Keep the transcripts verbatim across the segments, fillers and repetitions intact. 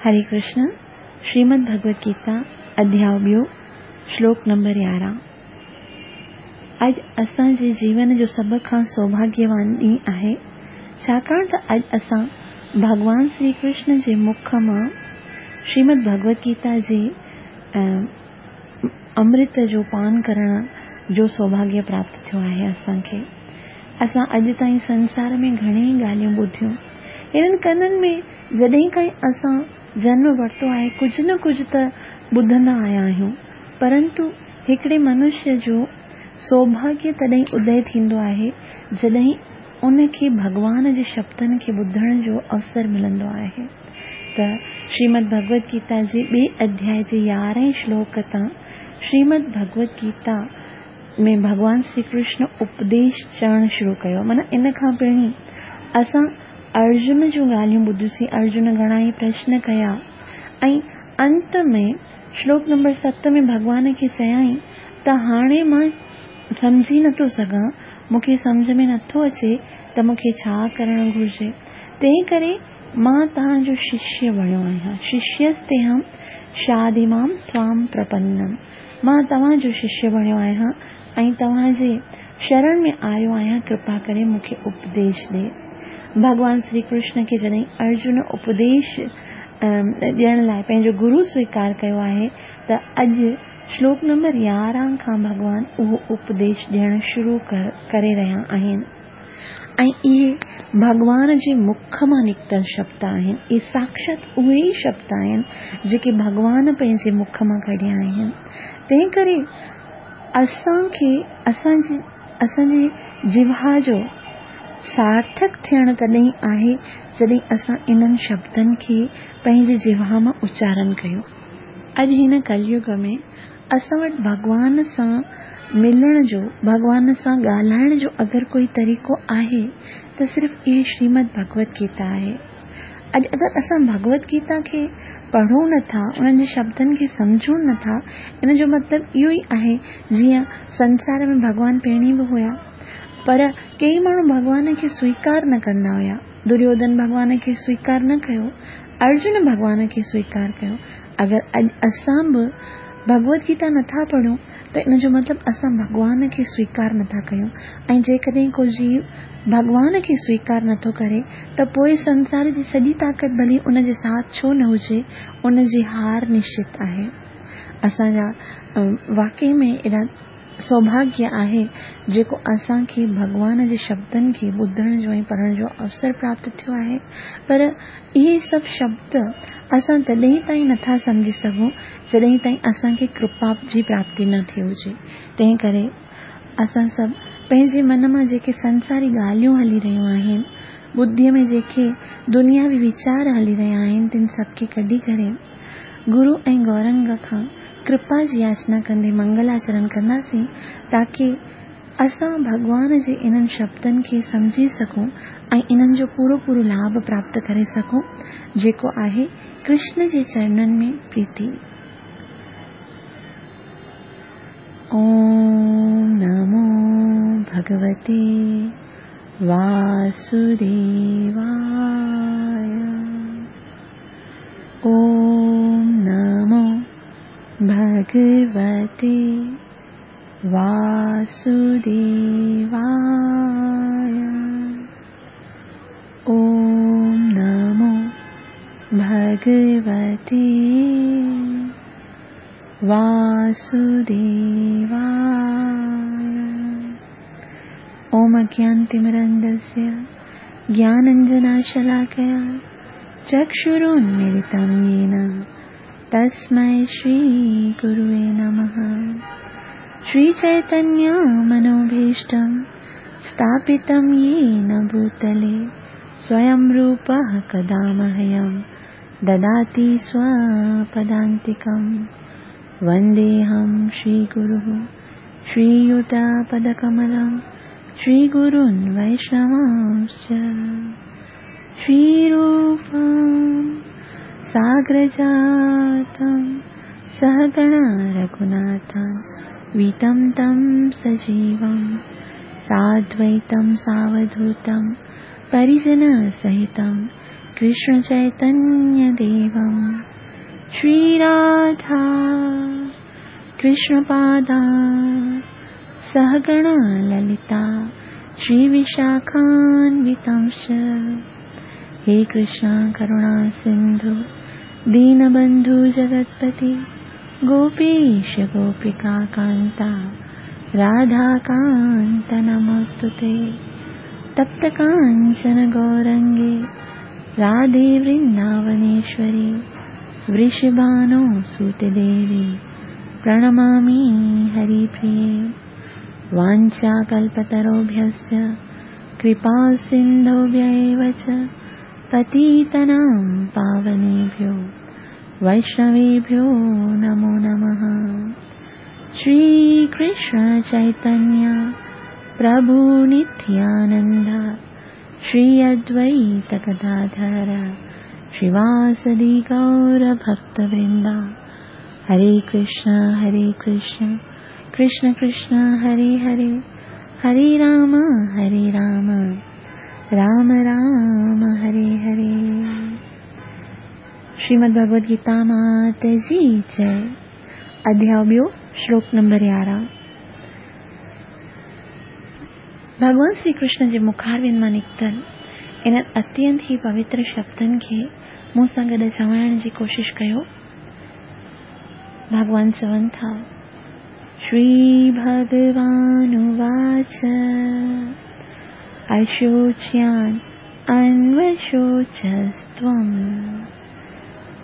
हरे कृष्ण। श्रीमद् भगवत गीता अध्याय ॿियो श्लोक नंबर यारहं। अॼु असांजे जीवन जो सभ खां सौभाग्यवान ॾींहुं आहे, छाकाणि त अॼु असां भॻवान श्री कृष्ण जे मुख मां श्रीमद् भगवत गीता जे अमृत जो पान करण जो सौभाग्य प्राप्त थियो आहे असांखे। असां अॼु ताईं संसार में घणेई ॻाल्हियूं ॿुधियूं। हिननि कननि में जॾहिं खां असां जन्म वरितो आहे कुझु न कुझु त ॿुधंदा आया आहियूं, परंतु हिकिड़े मनुष्य जो सौभाग्य तॾहिं उदय थींदो आहे जॾहिं उनखे भॻवान जे शब्दनि खे ॿुधण जो अवसर मिलंदो आहे। त श्रीमद् भगवत गीता जे ॿिए अध्याय जे यारहें श्लोक तां श्रीमद् भगवत गीता में भॻवान श्री कृष्ण उपदेश चवणु शुरू कयो। माना इन खां पहिरीं असां अर्जुन जूं ॻाल्हियूं ॿुधियूंसीं, अर्जुन घणा ई प्रश्न कया ऐं अंत में श्लोक नंबर सत में भॻवान खे चयाईं त हाणे मां सम्झी नथो सघां, मूंखे सम्झ में नथो अचे त मूंखे छा करणु घुरिजे, तंहिं करे मां तव्हांजो शिष्य बणियो आहियां। शिष्यस्तेहं शादिमां त्वां प्रपन्नम, मां तव्हांजो शिष्य बणियो आहियां ऐं तव्हांजे शरण में आयो आहियां, कृपा करे मूंखे उपदेश ॾे। भॻवान श्री कृष्ण खे जॾहिं अर्जुन उपदेश ॾियण लाइ पंहिंजो गुरू स्वीकार कयो आहे त अॼु श्लोक नंबर यारहं खां भॻवान उहो उपदेश ॾियणु शुरू करे रहिया आहिनि ऐं इहे भॻवान जे मुख मां निकितल शब्द आहिनि। इहे साक्षात उहे ई शब्द आहिनि जेके भॻवान पंहिंजे मुख मां कढिया आहिनि। तंहिं करे असांखे असांजी असांजे जिह्वा जो सार्थक थियणु तॾहिं आहे जॾहिं असां इन्हनि शब्दनि खे पंहिंजी जिह्वा मां उचारण कयूं। अॼु हिन कलयुग में असां वटि भॻवान सां मिलण जो, भॻवान सां ॻाल्हाइण जो अगरि कोई तरीक़ो आहे त सिर्फ़ इहे श्रीमद् भगवत गीता आहे। अॼु अगरि असां भगवत गीता खे पढ़ूं नथा, उन्हनि जे शब्दनि खे सम्झूं नथा, इन जो मतिलबु इहो ई आहे जीअं संसार में भॻवान पहिरीं बि हुया, पर कई माण्हू भॻवान खे स्वीकार न कंदा हुया। दुर्योधन भॻवान खे स्वीकार न कयो, अर्जुन भॻवान खे स्वीकार कयो। अगरि अॼु असां बि भगवत गीता नथा पढ़ूं त इन जो मतिलबु असां भॻवान खे स्वीकार नथा कयूं। ऐं जेकॾहिं को जीव भॻवान खे स्वीकार नथो करे त पोइ संसार जी सॼी ताक़त भली उनजे साथ छो न हुजे, उनजी हार निश्चित आहे। असांजा वाकई में एॾा सौभाग्य आहे जेको असांखे भॻवान जे शब्दनि खे ॿुधण जो ऐं पढ़ण जो अवसर प्राप्त थियो आहे। पर इहे सभु शब्द असां तॾहिं ताईं नथा सम्झी सघूं जॾहिं ताईं असांखे कृपा जी प्राप्ति न थी हुजे। तंहिं करे असां सभु पंहिंजे मन मां जेके संसारी ॻाल्हियूं हली रहियूं आहिनि, बुद्धीअ में जेके दुनियावी वीचार हली रहिया आहिनि, तिन सभु खे कढी करे गुरू ऐं गौरंग खां कृपा जी याचना कंदे मंगलाचरण कंदासीं, ताकी असां भॻवान जे इन्हनि शब्दनि खे सम्झी सघूं ऐं इन्हनि जो पूरो पूरो लाभ प्राप्त करे सघूं, जेको आहे कृष्ण जे चरणनि में प्रीति। ओम नमो भगवते वासुदेवाय। ओम नमो भगवते वासुदेवाय। ओम नमो भगवते वासुदेवाय। ओम अज्ञानतिमिरान्धस्य ज्ञानाञ्जनशलाकया चक्षुरुन्मीलितं येन तस्मै श्री गुरुवे नमः। श्री चैतन्य मनोभीष्टं स्थापितं येन भूतले स्वयं रूपः कदा मह्यं ददाति स्वपदान्तिकं। वन्देऽहं श्रीगुरुः श्रीयुतपदकमलं श्रीगुरून् वैष्णवांश्च। श्रीरूपं साग्रजातं सहगणा रघुनाथं वीतं तं सजीवं साद्वैतं सावधूतं परिजनसहितं कृष्ण चैतन्य देवं श्री राधा कृष्ण पादा सहगणा ललिता श्री विशाखान्वितांश। हे कृष्ण करुणा सिंधु दीनबंधु जगत्पति गोपीश गोपिका कांता राधाकांत नमोस्तुते। तप्त कांचन गौरंगे राधे वृंदावनेश्वरी वृषभानो सुते देवी प्रणमामि हरिप्रिये। वाञ्छाकल्पतरुभ्यश्च कृपा सिन्धुभ्य एव च पतितानां पावनेभ्यो वैष्णवेभ्यो नमो नमः। श्री कृष्ण चैतन्य प्रभु नित्यानंद श्री अद्वैत गदाधर श्रीवासदि गौर भक्तवृंदा। हरे कृष्ण हरे कृष्ण कृष्ण कृष्ण हरे हरे, हरे राम हरे राम राम राम हरे हरे। श्रीमद् भगवद गीता मात जी जय। अध्याय ॿियो, श्लोक नंबर यारहं। भॻवान श्री कृष्ण जे मुखारविंद मां निकितल इन्हनि अत्यंत ई पवित्र शब्दनि खे मूं सां गॾु चवाइण जी कोशिश कयो। भॻवान चवनि था, श्री भगवानुवाच अशोच्यान् अन्वशोचस्त्वं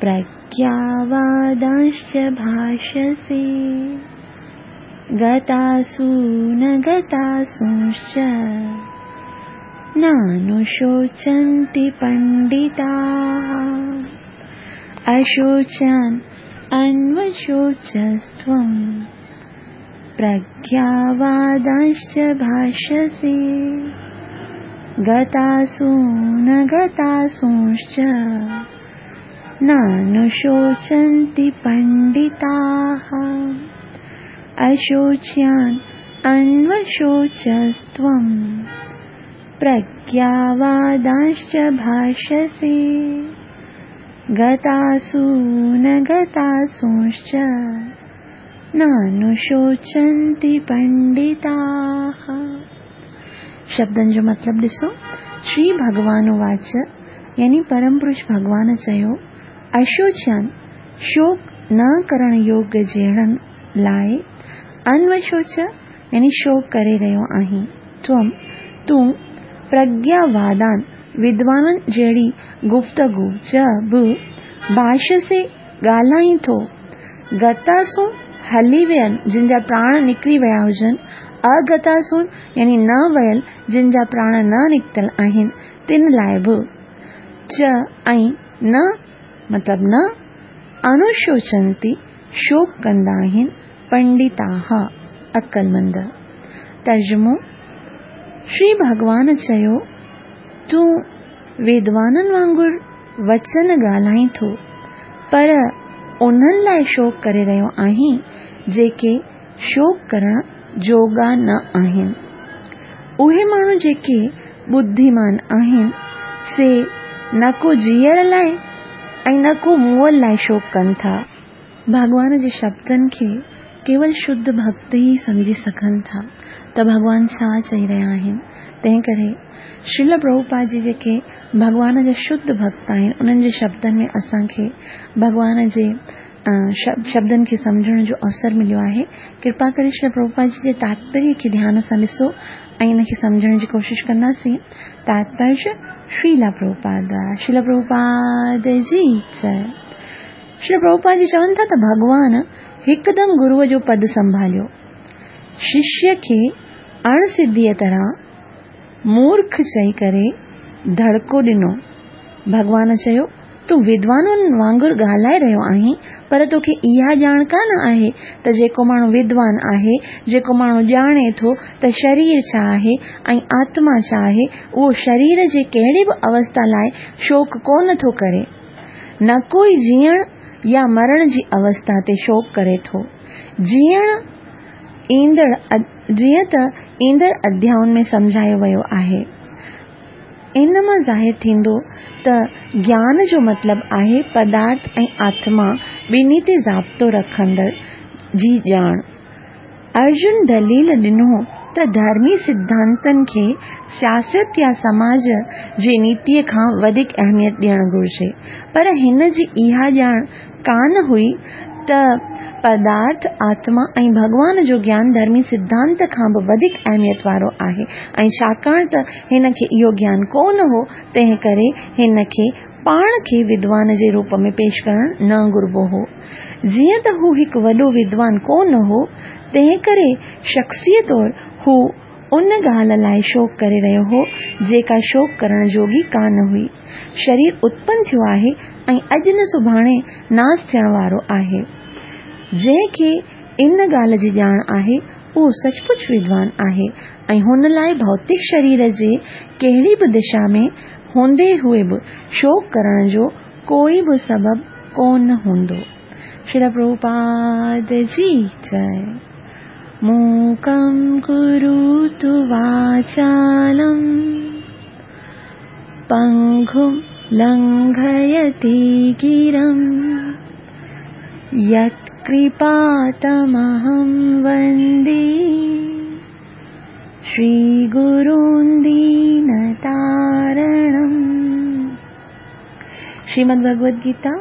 प्रज्ञावादांश्च भाषसे गतासु न गतासूंश्च नानुशोचन्ति पण्डिताः। अशोच्यान् अन्वशोचस्त्वं प्रज्ञावादांश्च भाषसे गतासु न गतासूंश्च नानुशोचन्ति पण्डिताः। अशोच्यान् अन्वशोचस्त्वं प्रज्ञावादांश्च भाषसे गतासु न गतासूंश्च नानुशोचन्ति पण्डिताः। शब्दनि जो मतिलबु ॾिसो, श्री भगवान उवाच यानी परम पुरुष भॻवान चयो, अशोच्यान शोक न करण योग्य जहिड़नि लाइ, अन्वशोच यानी शोक करे रहियो आहीं, त्वं तूं प्रज्ञावादान विद्वाननि जहिड़ी गुफ्तगू च बि भाषसे ॻाल्हाईं थो, गतासूं हली वियल जिन जा प्राण निकिरी विया हुजनि, अगतासूं यानी न वियल जिन जा प्राण न निकितल आहिनि तिन लाइ बि, च ऐं न मतिलबु न अनुशोचन्ति शोक कंदा आहिनि पंडिताः अक़लमंद। तर्जुमो, श्री भॻवान चयो, तूं विद्वाननि वांगुरु वचन ॻाल्हाईं थो, पर उन्हनि लाइ शोक करे रहियो आहीं जेके शोक करण जोगा न आहिनि। उहे माण्हू जेके बुद्धिमान आहिनि से न को जीअण लाइ ऐं न को मुअल लाइ शोक कनि था। भॻवान जे शब्दनि खे केवल शुद्ध भक्त ई सम्झी सघनि था त भॻवान छा चई रहिया आहिनि। तंहिं करे श्रील प्रभुपाद जी जेके भॻवान जा शुद्ध भक्त आहिनि उन्हनि जे शब्दनि में असांखे भॻवान जे शब्दनि खे सम्झण जो अवसर मिलियो आहे। कृपा करे श्रील प्रभुपाद जी जे तात्पर्य खे ध्यान सां ॾिसो ऐं इन खे सम्झण जी कोशिश कंदासीं। तात्पर्य श्रीला प्रभुपाद द्वारा। श्रील प्रभुपाद जी जय। श्रील प्रभुपाद जी चवनि था त भॻवान हिकदमि गुरूअ जो पद संभालियो, शिष्य खे अणसिद्धीअ तरह मूर्ख चई करे धड़को ॾिनो। भॻवान चयो, तूं विद्वाननि वांगुरु ॻाल्हाए रहियो आहीं, पर तोखे इहा ॼाण कान आहे त जेको माण्हू विद्वान आहे, जेको माण्हू ॼाणे थो त शरीर छा आहे ऐं आत्मा छा आहे, उहो शरीर जे कहिड़ी बि अवस्था लाइ शोक कोन थो करे, न कोई जीअण या मरण जी अवस्था ते शोक करे थो। जीअण ईंदड़ जीअं त ईंदड़ अध्यायुनि में सम्झायो वियो आहे। ان مان ظاهر ٿيندو ته گيان جو مطلب آهي پدارٿ ۽ آتما ٻنهي تي ضابطو رکندڙ جي ڄاڻ. ارجن دليل ڏنو ته ڌرمي سڌانتن کي سياست يا سماج جي نيتيء کان وڌيڪ اهميت ڏيڻ گهرجي، پر هن جي اها ڄاڻ ڪانه هئي ته پدارٿ، آتما ۽ ڀڳوان جو گيان ڌرمي سڌانت کان به وڌيڪ اهميت وارو آهي ۽ ڇاڪاڻ ته هن کي اهو گيان ڪونه هو، تنهن ڪري هن کي پاڻ کي ودوان جي روپ ۾ پيش ڪرڻ نه گهربو هو. جيئن ته هو هڪ وڏو ودوان ڪونه هو، تنهن ڪري شخصي طور هو ان ڳالهه لاء شوڪ ڪري رهيو هو، جيڪا شوڪ ڪرڻ جوڳي ڪانه هئي. شرير اتپن ٿيو آهي ۽ اڄ نه سڀاڻي ناس ٿيڻ وارو آهي. جنهن کي ان ڳالهه جي ڄاڻ آهي، اهو سچ پچ ودوان آهي ۽ هن لاء ڀوتڪ شرير جي ڪهڙي به دشا ۾ هوندي هئي به شوڪ ڪرڻ جو ڪوئي به سبب ڪونه هوندو. شريل پرڀوپاد جي جئي. موڪم ڪروتु واچالم پنگم لنگهيتي گرم يتڪرپا تمهم وندي شري گرون دينتارڻم. شريمد ڀڳوت گيتا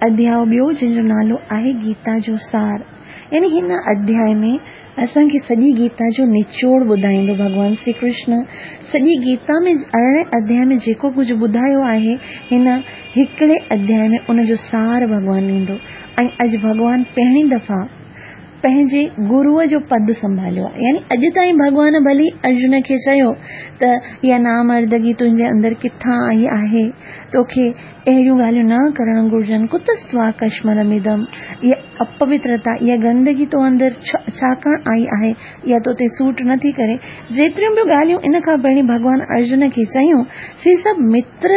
اڌياء ٻيو، جنهن جو نالو آهي گيتا جو سار. يعني هن اڌياء ۾ اسان کي سڄي گيتا جو نچوڙ ٻڌائيندو ڀڳوان شري ڪرشن. سڄي گيتا ۾ ارڙهين اڌياء ۾ جيڪو ڪجهه ٻڌايو آهي، هن هڪڙي اڌياء ۾ ان جو سار ڀڳوان ڏيندو. ۽ اڄ ڀڳوان پهرين دفعا پنهنجي گروء جو پد سنڀاليو آهي. يعني اڄ تائين ڀڳوان ڀلي ارجن کي چيو ته اها نامردگي تنهنجي اندر ڪٿان آئي آهي، توکي اهڙيون ڳالهيون نه ڪرڻ گهرجن، ڪتستوا ڪشملمدم، اها اپوترتا، اها گندگي تو اندر ڇاڪاڻ آئي آهي، اها تو تي سوٽ نٿي ڪري. جيتريون به ڳالهيون ان کان پهرين ڀڳوان ارجن کي چيون، سي سڀ متر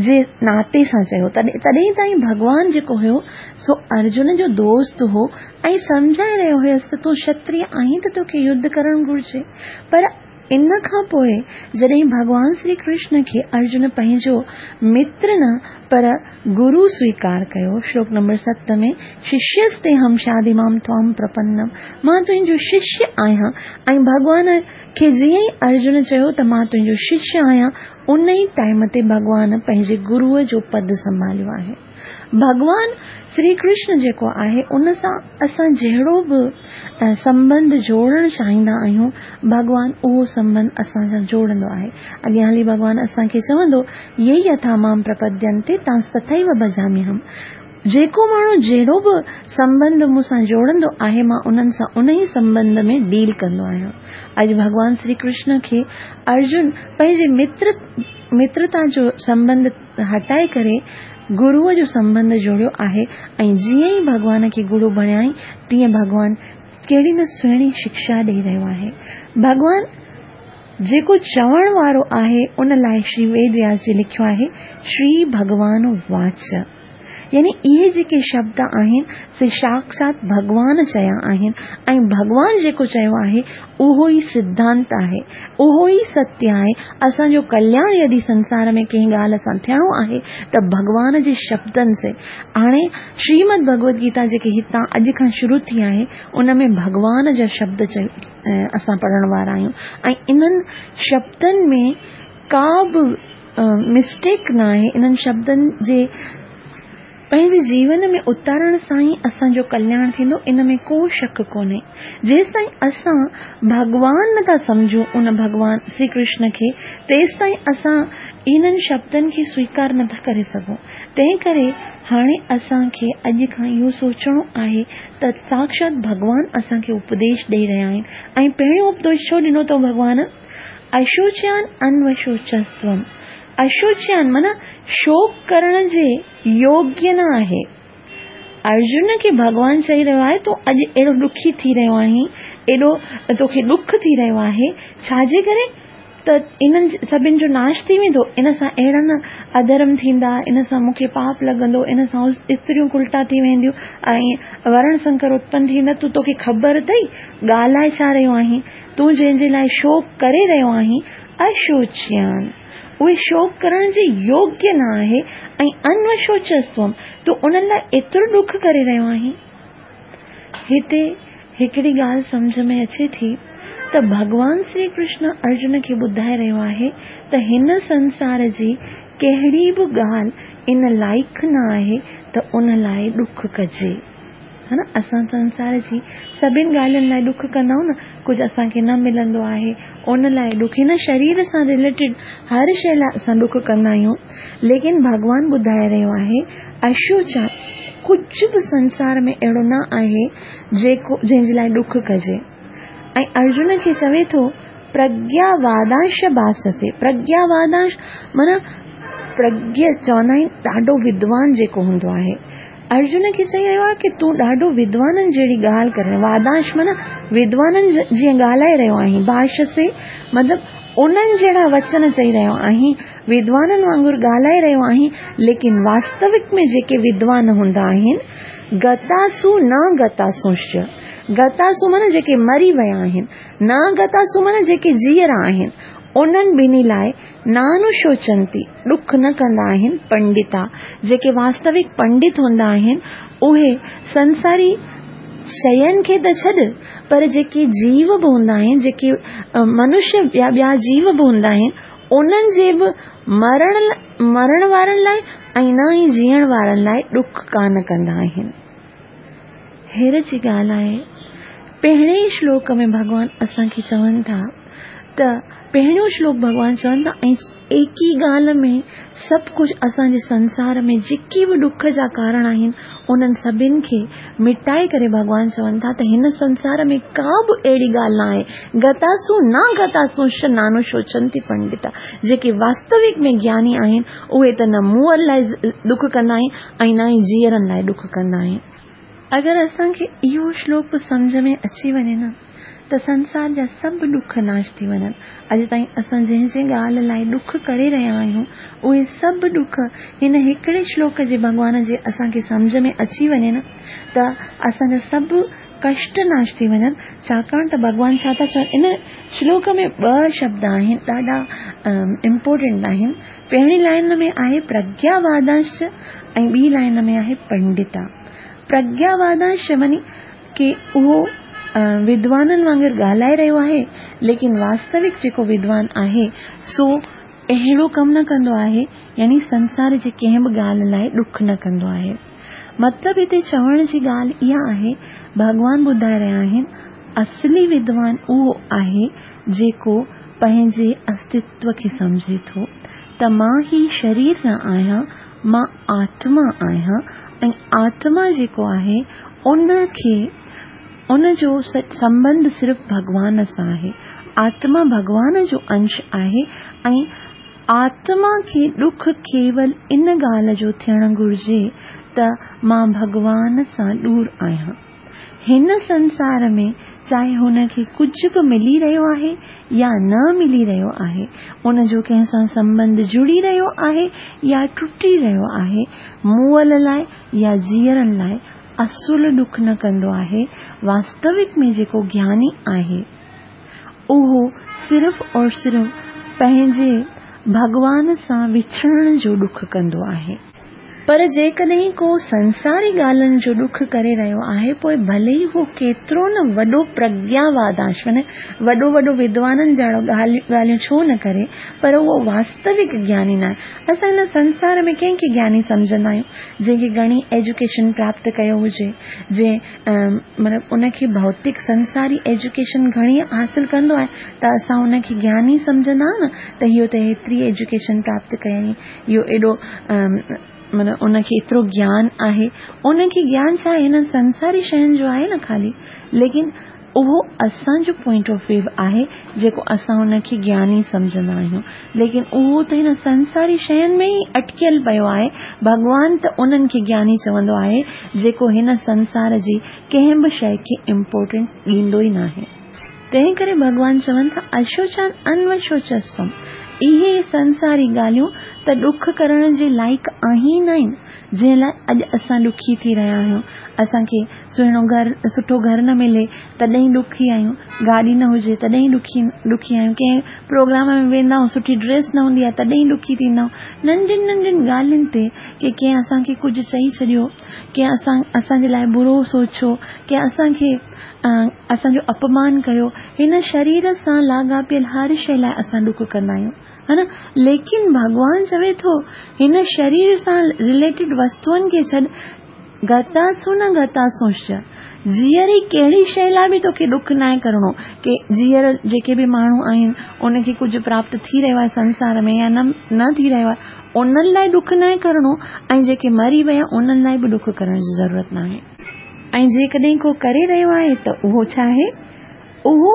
جي ناتي سان چيو. تڏهن تائين ڀڳوان جيڪو هيو سو ارجن جو دوست هو ۽ سمجهائي رهيو هيس ته تون ڪشتريه آهين ته توکي يڌ ڪرڻ گهرجي. پر ان کان پوءِ جڏهن ڀڳوان شري ڪرشن کي ارجن پنهنجو متر نه پر گرو سويڪار ڪيو، شلوڪ نمبر ست ۾ ششيستي هم شاديمام ತ್ವಾಂ ಪ್ರಪನ್ನಂ، مان تنهنجو ششيه آهيان. ۽ ڀڳوان کي جيئن ئي ارجن چيو ته مان تنهنجو ششيه آهيان، ان ئي ٽائيم تي ڀڳوان پنهنجي گروءَ جو پد سنڀاليو آهي. ڀڳوان شري ڪرشن جيڪو آهي ان سان اسان جهڙو به سنٻنڌ جوڙڻ چاهيندا آهيون، ڀڳوان اهو سنٻنڌ اسان سان جوڙندو آهي. اڳيان هلي ڀڳوان اسان کي چوندو، يي يٿا مام پرپدينتي تانس تٿيو ڀجاميهم. جيڪو ماڻهو جهڙو به سنٻنڌ مون سان جوڙندو آهي، مان انهن سان ان ئي سنٻنڌ ۾ ڊيل ڪندو آهيان. اڄ ڀڳوان شري ڪرشن کي ارجن پنهنجي متر مترتا جو سنٻنڌ هٽائي ڪري گروءَ جو سنٻنڌ جوڙيو آهي. ۽ جيئن ئي ڀڳوان کي گرو بڻيائين، تيئن ڀڳوان ڪهڙي نه سهڻي شڪشا ڏيئي رهيو آهي. ڀڳوان جيڪو چوڻ وارو آهي، ان لاءِ شري ويد وياس جي لکيو آهي شري ڀڳوان واچ. يعني اهي جيڪي شبد آهن سي ساڪشات ڀڳوان چيا آهن ۽ ڀڳوان جيڪو چيو آهي اهو ئي سڌانت آهي، اهو ئي ستيه آهي. اسان جو ڪلياڻ يدي سنسار ۾ ڪنهن ڳالهه سان ٿيڻو آهي ته ڀڳوان جي شبدن سي. هاڻي شريمد ڀڳوت گيتا جيڪي هتان اڄ کان شروع ٿي آهي، ان ۾ ڀڳوان جا شبد اسان پڙهڻ وارا آهيون ۽ انهن شبدن ۾ ڪا به مسٽيڪ نه آهي. انهن شبدن جي پنهنجي جيون ۾ اتارڻ سان ئي اسان جو ڪلياڻ ٿيندو، ان ۾ ڪو شڪ ڪونهي. جيستائين اسان ڀڳوان نٿا سمجهون ان ڀڳوان شري ڪرشن کي، تيستائين اسان انهن شبدن کي سويڪار نٿا ڪري سگهون. تنهن ڪري هاڻي اسان کي اڄ کان اهو سوچڻو آهي ته ساڪشات ڀڳوان اسان کي اپديش ڏيئي رهيا آهن. ۽ پهريون اپديش ڇو ڏنو اٿئون ڀڳوان؟ اشوچيان انوشوچستوم. اشوچيان معنيٰ شوڪ ڪرڻ جي يوگيه نه آهي. ارجن کي ڀڳوان چئي رهيو آهي تون اڄ اهڙو ڏکي ٿي رهيو آهين، ايڏو توکي ڏک ٿي رهيو آهي، ڇا جي ڪري؟ ته انهن سڀني جو ناش ٿي ويندو، ان سان اهڙا نه اڌرم ٿيندا، ان سان مون کي پاپ لڳندو، ان سان استريون الٽا ٿي وينديون ۽ ورڻ سنڪر اتپن ٿيندا. تون توکي خبر اٿئي ڳالهائي ڇا رهيو آهين؟ تون جنهن جي لاءِ شوڪ ڪري رهيو آهين، اشوچيان، اهي شوڪ ڪرڻ جي يوگيه نه آهي ۽ انوشوچستوم، تون انهن لاءِ ايترو ڏک ڪري رهيو آهين. هتي هڪڙي ڳالهه سمجهه ۾ اچي ٿي ته ڀڳوان شري ڪرشن ارجن کي ٻڌائي رهيو آهي ته هن سنسار جي ڪهڙي به ڳالهه ان لائق نه آهي ته ان لاءِ ڏک ڪجي. ها نه، اسان سنسار جي سڀني ڳالهين لاءِ ڏک ڪندا آهيون نه، ڪجهه اسان کي نه ملندو آهي ان لاءِ ڏک، هن شرير سان رليٽيڊ هر شيءِ لاءِ اسان ڏک ڪندا آهيون. ليڪن ڀڳوان ٻڌائي رهيو آهي اشوچا، ڪجهه به سنسار ۾ اهڙو نه آهي جيڪو جنهن جي لاءِ ڏک ڪجي. ۽ ارجن کي چوي ٿو پرگياوادانش ڀاسسي، پرگياوادانش معنيٰ پرگيه چوندا آهن ڏاڍو ودوان جيڪو هوندو آهي. ارجن کي چئي رهيو آهي ڪه تون ڏاڍو ودوانن جهڙي ڳالهه ڪري، وادانش معنيٰ ودوانن جيئن ڳالهائي رهيو آهين، ڀاشسي مطلب انهن جهڙا وچن چئي رهيو آهين، ودوانن وانگر ڳالهائي رهيو آهين. ليڪن واستوڪ ۾ جيڪي ودوان هوندا آهن، گتاسو نه گتاسوش، گتاسو معنيٰ جيڪي مري ويا آهن، نه گتاسو معنيٰ جيڪي جيئرا آهن، انهن ٻنهي لاءِ نانوشوچنتي، ڏک نه ڪندا آهن پنڊتا. جيڪي واستوڪ پنڊت هوندا آهن اهي سنساري شين کي ته ڇڏ، پر جيڪي جيو به هوندا آهن، جيڪي منشيه يا ٻيا جيو به هوندا آهن، انهن جي به مرڻ مرڻ وارن لاءِ ۽ نه ئي جيئڻ وارن لاءِ ڏک ڪانه ڪندا آهن. هير جي ڳالهه آهي، پهرين ئي شلوڪ ۾ ڀڳوان اسان کي چون ٿا ته پهريون شلوڪ ڀڳوان چون ٿا ۽ ايڪ ئي ڳالهه ۾ سڀ ڪجهه اسان جي سنسار ۾ جيڪي به ڏک جا ڪارڻ آهن انهن سڀني کي مٽائي ڪري ڀڳوان چون ٿا ته هن سنسار ۾ ڪا به اهڙي ڳالهه نه آهي، گتاسو نه گتاسو نانوشوچنتي پنڊتا. جيڪي واستوڪ ۾ گياني آهن اهي ته نه مئل لاءِ ڏک ڪندا آهن ۽ نه ئي جيئرن لاءِ ڏک ڪندا آهن. اگر اسان کي اهو شلوڪ سمجهه ۾ اچي وڃي نه ته سنسار جا سڀ ڏک ناش ٿي وڃن. اڄ تائين اسان جنهن جنهن ڳالهه لاءِ ڏک ڪري رهيا آهيون اهي سڀ ڏک هن هڪڙي شلوڪ جي ڀڳوان جي اسان کي سمجهه ۾ اچي وڃي نه ته اسان جا سڀ ڪشٽ ناش ٿي وڃن. ڇاڪاڻ ته ڀڳوان ڇا ٿا چون، ان شلوڪ ۾ ٻه شبد آهن ڏاڍا امپورٽنٽ آهن. پهرين لائن ۾ آهي پرگياوادانش ۽ ٻي لائن ۾ آهي پنڊتا. پرگياوادانش معنيٰ ڪه اهو ودوانن وانگر ڳالهائي رهيو آهي، ليڪن واستوڪ جيڪو ودوان آهي سو اهڙو ڪم نه ڪندو آهي، يعني سنسار جي ڪنهن به ڳالهه لاءِ ڏک نه ڪندو آهي. مطلب هتي چوڻ جي ڳالهه اها آهي، ڀڳوان ٻڌائي رهيا آهن اصلي ودوان اهو آهي جيڪو پنهنجي استتو کي سمجهي ٿو ته مان هي شرير نه آهيان، مان آتما آهيان ۽ آتما جيڪو آهي ان کي ان جو سنٻنڌ صرف ڀڳوان سان آهي. آتما ڀڳوان جو انش آهي ۽ آتما کي ڏک ڪيول ان ڳالهه جو ٿيڻ گهرجي ته مان ڀڳوان سان دور آهيان. هن سنسار ۾ چاهي هن کي ڪجهه به ملي رهيو آهي يا نه ملي رهيو آهي، ان جو ڪنهن سان سنٻنڌ جڙي رهيو آهي يا ٽٽي رهيو آهي، مئل لاءِ يا جيئرن لاءِ اصل ڏک نه ڪندو آهي. واستوڪ ۾ جيڪو گياني آهي اهو صرف اور صرف پنهنجي ڀڳوان سان وڇڙڻ جو ڏک ڪندو آهي. پر جيڪڏهن ڪو سنساري ڳالهين جو ڏک ڪري رهيو آهي، پوءِ ڀلي ئي هو ڪيترو نه وڏو پرگياوادانش معنيٰ وڏو وڏو ودوانن جهڙو ڳالهيون ڇو نه ڪري، پر اهو واستوڪ گياني نه آهي. اسان هن سنسار ۾ ڪنهن کي گياني سمجهندا آهيون؟ جنهن کي گهڻي ايجوڪيشن پراپت ڪيو هجي، جنهن مطلب ان کي ڀوتڪ سنساري ايجوڪيشن گهڻي حاصل ڪندو آهي ته اسان ان کي گياني سمجهندا آهيون نه ته اهو ته هيتري ايجوڪيشن پراپت ڪيائين، اهو ايڏو معنيٰ ان کي ايترو گيان آهي. ان کي گيان ڇا آهي؟ هنن سنساري شين جو آهي نه خالي، ليڪن اهو اسان جو پوائنٽ آف ويو آهي جيڪو اسان ان کي گياني سمجهندا آهيون، ليڪن اهو ته هن سنساري شين ۾ ئي اٽڪيل پيو آهي. ڀڳوان ته انهن کي گياني چوندو آهي جيڪو هن سنسار جي ڪنهن به شيءِ کي امپورٽنٽ ڏيندو ئي ناهي. تنهن ڪري ڀڳوان چون ٿا اشوچان انوشوچستم، اهي سنساري ڳالهيون ته ڏک ڪرڻ جي لائق آهن نه آهن، جنهن لاءِ اڄ اسان ڏکي ٿي رهيا آهيون. اسان کي سهڻو گهر، سٺو گهر نه ملي تڏهن ڏکي آهيون، گاڏي نه هجي تڏهن ڏکي ڏکي آهيون، ڪنهن پروگرام ۾ ويندا آهيون سٺي ڊريس نه هوندي آهي تڏهن ڏکي ٿيندا آهيون. ننڍين ننڍين ڳالهين تي ڪي ڪنهن اسان کي ڪجهه چئي ڇڏيو، ڪنهن اسان اسان جي لاءِ برو سوچيو، ڪنهن اسان کي اسان جو اپمان ڪيو، هن شرير سان لاڳاپيل هر شيءِ لاءِ اسان ڏک ڪندا آهيون، ها نه؟ ليڪن ڀڳوان چوي ٿو هن شرير سان رليٽيڊ وستوئن کي ڇڏ، گتاسون نه گتاسونش، جيئري ڪهڙي شيءِ لاءِ به توکي ڏک ناهي ڪرڻو. ڪي جيئر جيڪي به ماڻهو آهن ان کي ڪجهه پراپت ٿي رهيو آهي سنسار ۾ يا نه نه ٿي رهيو آهي، انهن لاءِ ڏک ناهي ڪرڻو، ۽ جيڪي مري ويا انهن لاءِ به ڏک ڪرڻ جي ضرورت ناهي. ۽ جيڪڏهن ڪو ڪري رهيو آهي ته اهو ڇا آهي؟ اهو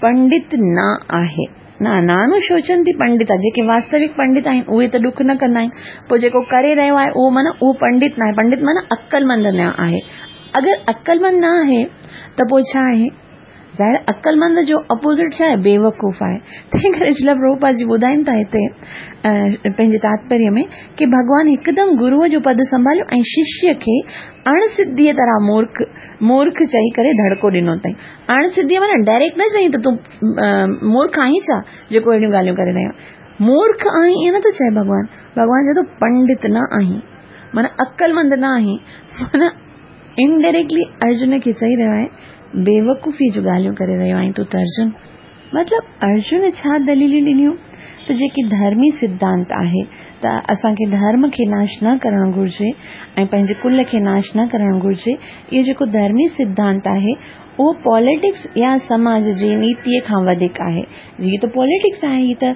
پنڊت نه آهي. نه نانو شوچنتي پنڊت آهي. جيڪي واستوڪ پنڊت آهن اهي ته ڏک نه ڪندا آهن. پوءِ جيڪو ڪري رهيو آهي اهو معنيٰ اهو پنڊت نه آهي. پنڊت معنيٰ عقلمند نه آهي. اگر عقلمند نه آهي ته پوءِ ڇا آهي؟ ظاهر عقلمند جو اپوزٽ ڇا آهي؟ بيوقوف آهي. تنهن ڪري شريلا پرڀوپاد جي ٻڌائين ٿا هتي پنهنجي تاتپريه ۾ ڪي ڀڳوان هڪدم گروءَ جو پد سنڀاليو ۽ ششيه کي اڻسڌيءَ طرح مورک مورک چئي ڪري ڌڙڪو ڏنو اٿئي. اڻسڌيءَ معنيٰ ڊائريڪٽ نه چئي ته تون مورک آهين ڇا جيڪو اهڙيون ڳالهيون ڪري رهيو آهين. مورک آهين ائين نٿو چئي ڀڳوان. ڀڳوان چئي ٿو پنڊت نه آهين، معنيٰ عقلمند نه آهين. معنيٰ انڊائريڪٽلي ارجن کي چئي رهيو آهي بيوقوفيءَ جون ڳالهيون ڪري رهيو آهين تون ته ارجن. مطلب ارجن ڇا دليلون ڏنيون ته جيڪي ڌرمي سڌانت آهي ته اسان کي ڌرم کي ناش نه ڪرڻ گهرجي ۽ پنهنجي ڪل کي ناش نه ڪرڻ گهرجي، اهو جيڪو ڌرمي سڌانت آهي اهو پاليٽڪس يا سماج جي نيتيءَ کان وڌيڪ آهي. هيءَ ته پاليٽڪس آهي، هيءَ ته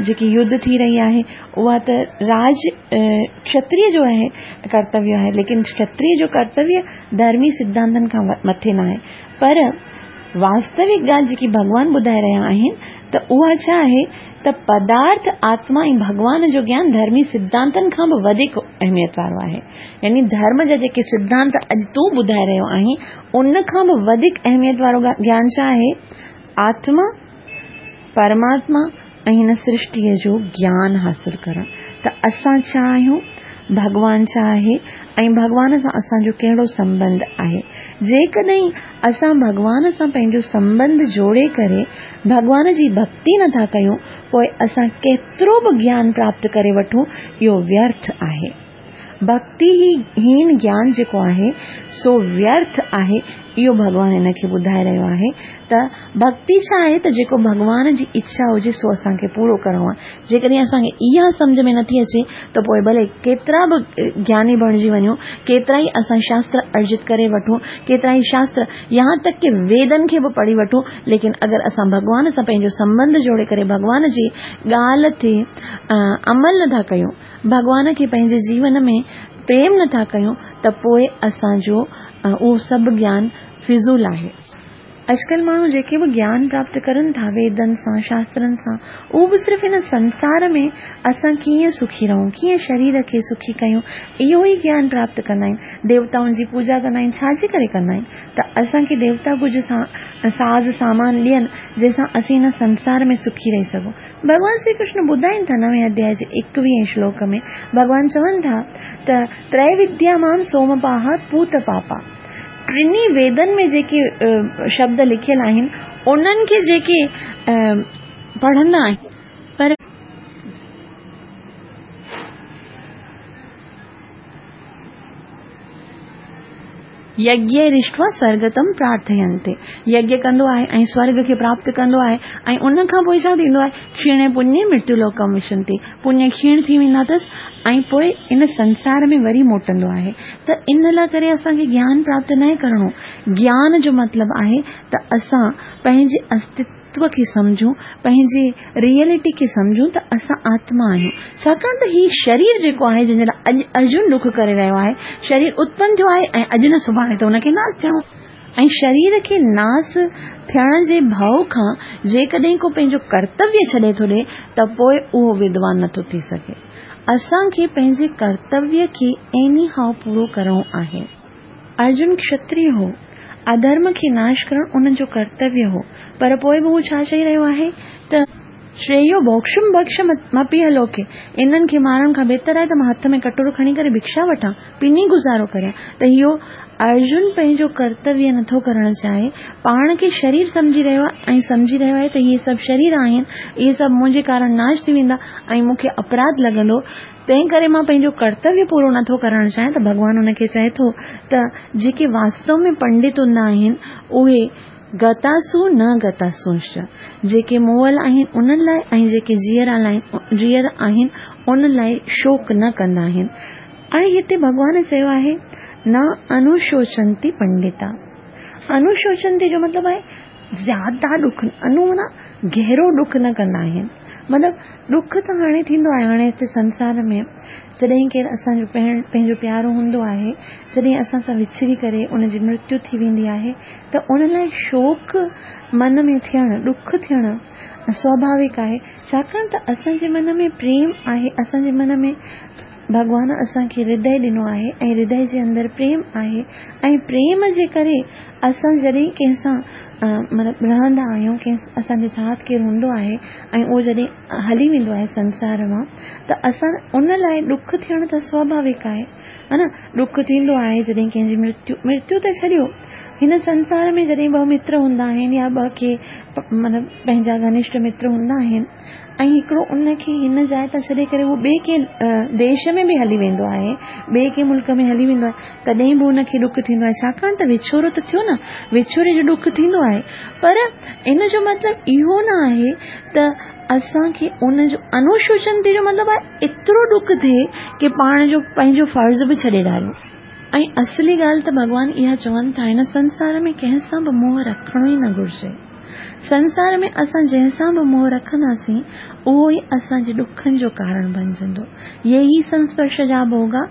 جيڪي يڌ ٿي رهي آهي اها ته راج ڪشتريه جو آهي ڪرتويه آهي، ليڪن ڪشتريه جو ڪرتويه ڌرمي سڌانتن کان مٿي نه آهي. پر واستوڪ ڳالهه جيڪي ڀڳوان ٻڌائي رهيا آهن ته اها ڇا آهي ته پدارٿ آتما ۽ ڀڳوان جو گيان ڌرمي سڌانتن کان به وڌيڪ اهميت وارو آهي. يعني ڌرم جا جيڪي سڌانت اڄ تون ٻڌائي رهيو آهين ان کان به وڌيڪ اهميت وارو گيان ڇا آهي؟ آتما، پرماتما ۽ هن سرشٽيءَ جو گيان حاصل ڪرڻ. ته اسان ڇا آهيون، ڀڳوان ڇا آهي ۽ ڀڳوان سان اسان جو ڪهڙو سنٻنڌ آهي. جيڪڏهن اسان ڀڳوان سان پنهنجو سنٻنڌ جوڙي ڪري ڀڳوان جي ڀڪتي نٿا ڪيون پوءِ اسان ڪيترو به گيان پراپت ڪري وٺون اهو ويرٿ آهي. ڀڪتي هين گيان جيڪو آهي سو ويرٿ آهي. اهو ڀڳوان هن کي ٻڌائي رهيو آهي ته ڀڪتي ڇا آهي ته جيڪو ڀڳوان جي اڇا هجي سو اسان کي پورو ڪرڻو آهي. جيڪڏهن اسان کي اها سمجهه ۾ نٿي اچي ته پوءِ ڀلي ڪيترا به گياني بڻجي وڃون، ڪيترا ئي اسان شاستر ارجت ڪري وٺون، ڪيترا ئي شاستر يهان تڪ ڪي ويدن کي به پڙهي وٺون، ليڪن اگر اسان ڀڳوان سان پنهنجو سنٻنڌ جوڙي ڪري ڀڳوان جي ڳالهه تي عمل نٿا ڪيون، ڀڳوان کي پنهنجي جيون ۾ پريم نٿا ڪيون ته پوءِ اسان جو اهو سڀ گيان فضول آهي. اڄڪلهه ماڻهو جيڪي به گيان پراپت ڪرن ٿا ويدن سان شاسترن سان، اهو به صرف هن سنسار ۾ اسان ڪيئن سکي رهون، ڪيئن شرير کي سکي ڪيون، اهو ئي گيان پراپت ڪندا آهن. ديوتائن جي پوڄا ڪندا آهن، ڇا جي ڪري ڪندا آهن؟ ته اسان کي ديوتا ڪجهه ساز سامان ڏين جنهن سان اسين هن سنسار ۾ سکي رهي سگهون. ڀڳوان شري ڪرشن ٻڌائين ٿا نوين اڌياءِ جي ايڪويهين شلوڪ ۾ ڀڳوان چون ٿا ته تريوديا مام سومپاهه پوت پاپا. ٽنهي ويدن ۾ جيڪي شبد لکيل آهن انهن کي جيڪي پڙهندا آهن پر يگيه رشتوا سورگتم پرارٿينتي. يگيه ڪندو آهي ۽ سورگ کي پراپت ڪندو آهي ۽ ان کان پوءِ ڇا ٿيندو آهي؟ کيڻي پڃي مرتيو لوڪم وشنتي. پڃ کيڻ ٿي ويندا اٿس ۽ پوءِ ان سنسار ۾ وري موٽندو آهي. ته ان لاءِ ڪري اسان کي گيان پراپت نه ڪرڻو. گيان جو مطلب آهي ته اسان پنهنجي استتو کي سمجهون، پنهنجي ريئلٽي کي سمجهون ته اسان آتما آهيون. ڇاڪاڻ ته هيءُ شرير جيڪو آهي جنهن جي لاءِ اڄ ارجن ڏک ڪري رهيو آهي، شرير اتپن ٿيو آهي ۽ اڄ نه سڀاڻي ته هن کي ناش ٿيڻو. ۽ شرير کي ناش ٿيڻ جي ڀؤ کان جيڪڏهن ڪو پنهنجو ڪرتويه ڇڏي ٿو ڏئي ته پوءِ اهو ودوان نٿو ٿي سگهي. اسان کي پنهنجي ڪرتويه کي ايني هائو پورو ڪرڻو آهي. ارجن ڪشتريه هو، اڌرم کي ناش ڪرڻ ان جو ڪرتويه هو، پر پوءِ به هو ڇا چئي رهيو آهي ته شريو ڀوڪشم ڀڪشم لوڪي، انهن کي مارڻ کان بهتر آهي ته مان هٿ ۾ ڪٽورو کڻي ڪري ڀڪشا وٺان، پني گذارو ڪريان. ته اهو ارجن پنهنجو ڪرتويه نٿو ڪرڻ چاهي، پاڻ کي شرير سمجهي رهيو آهي ۽ سمجهي رهيو آهي ته اهي سڀ شرير آهن، اهي سڀ منهنجي ڪارڻ ناش ٿي ويندا ۽ مون کي اپراڌ لڳندو، تنهن ڪري مان پنهنجو ڪرتويه پورو نٿو ڪرڻ چاهيان. ته ڀڳوان هن کي چئي ٿو ته جيڪي واستو ۾ پنڊت هوندا آهن اهي گتاسو نه گتاسوش، جيڪي مئل آهن انهن لاءِ ۽ جيڪي جيئرا جيئرا آهن انهن لاءِ شوڪ نه ڪندا آهن. هاڻي هتي ڀڳوان چيو آهي نه انوشوچنتي پنڊتا. انوشوچنتي جو مطلب آهي زياده ڏک، انو معنيٰ گهرو ڏک نه ڪندا آهن. مطلب ڏک ته هاڻي ٿيندو آهي، هاڻي هتي سنسار ۾ جڏهن ڪير اسان جو پنهنجو پيارو هوندو آهي، جڏهن اسان سان وڇڙي ڪري ان جي مرتيو ٿي ويندي آهي ته ان لاءِ شوڪ من ۾ ٿيڻ، ڏک ٿيڻ سواڀاوڪ آهي، ڇاڪاڻ ته اسان جي من ۾ پريم آهي، اسان جي من ۾ ڀڳوان اسان کي هردي ڏنو آهي ۽ هردي جي اندر پريم آهي ۽ پريم جي ڪري اسان جڏهن ڪنهن سان مطلب رهندا آهيون، ڪنهن اسان جي ساٿ ڪير هوندو آهي ۽ اهو جڏهن هلي ويندو آهي سنسار مان ته اسان ان لاءِ ڏک ٿيڻ ته سواڀاوڪ آهي، ها نه. ڏک ٿيندو آهي جڏهن ڪنهن جي مرتيو، مرتيو ته ڇڏيو، هن سنسار ۾ جڏهن ٻه متر هوندا آهن يا ٻه ڪي مطلب پنهنجا گهنشٺ متر هوندا آهن ۽ هڪڙو ان کي هن جاءِ تان ڇڏي ڪري اهو ٻئي ڪنهن ديش ۾ به هلي ويندو آهي، ٻئي ڪنهن ملڪ ۾ هلي ويندو آهي، تڏهن به ان کي ڏک ٿيندو آهي، ڇاڪاڻ ته وڇوڙو ته ٿيو نه، وڇوڙي جو ڏک ٿيندو آهي. پر ان جو مطلب اهو نه آهي ته اسان کي ان جو انوشوچنتي جو مطلب آهي ايترو ڏک ٿئي ڪه پاڻ جو پنهنجو فرض به ڇڏي ڏاريون. ۽ اصلي ڳالهه ته ڀڳوان اها چون ٿا هن سنسار ۾ ڪنهن سان به موهه رکڻو ئي نه گهرجي. سنسار ۾ اسان جنهن سان به موهه رکنداسين اهو ئي اسان جي ڏکن جو ڪارڻ بڻجندو. يي ئي سنسپرش جا ڀوڳا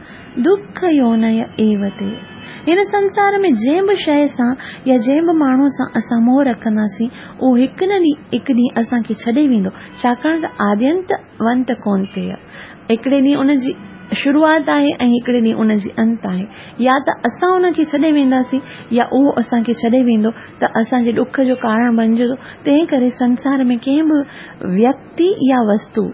دک يوني ايوتي. هن سنسار ۾ جنهن به شيءِ سان يا جنهن به ماڻهوءَ سان اسان موهه رکنداسين اهو هڪ نه ڏينهن هڪ ڏينهن اسان کي ڇڏي ويندو، ڇاڪاڻ ته آدينت ونت ڪونه ٿئي. هڪڙي ڏينهن ان جي شروعات آهي ۽ هڪڙي ڏينهن ان جي انت آهي. يا ته اسان ان کي ڇڏي وينداسين يا اهو اسان کي ڇڏي ويندو ته اسان جي ڏک جو ڪارڻ بڻجندو. تنهن ڪري سنسار ۾ ڪنهن به ويڪتي يا وستو،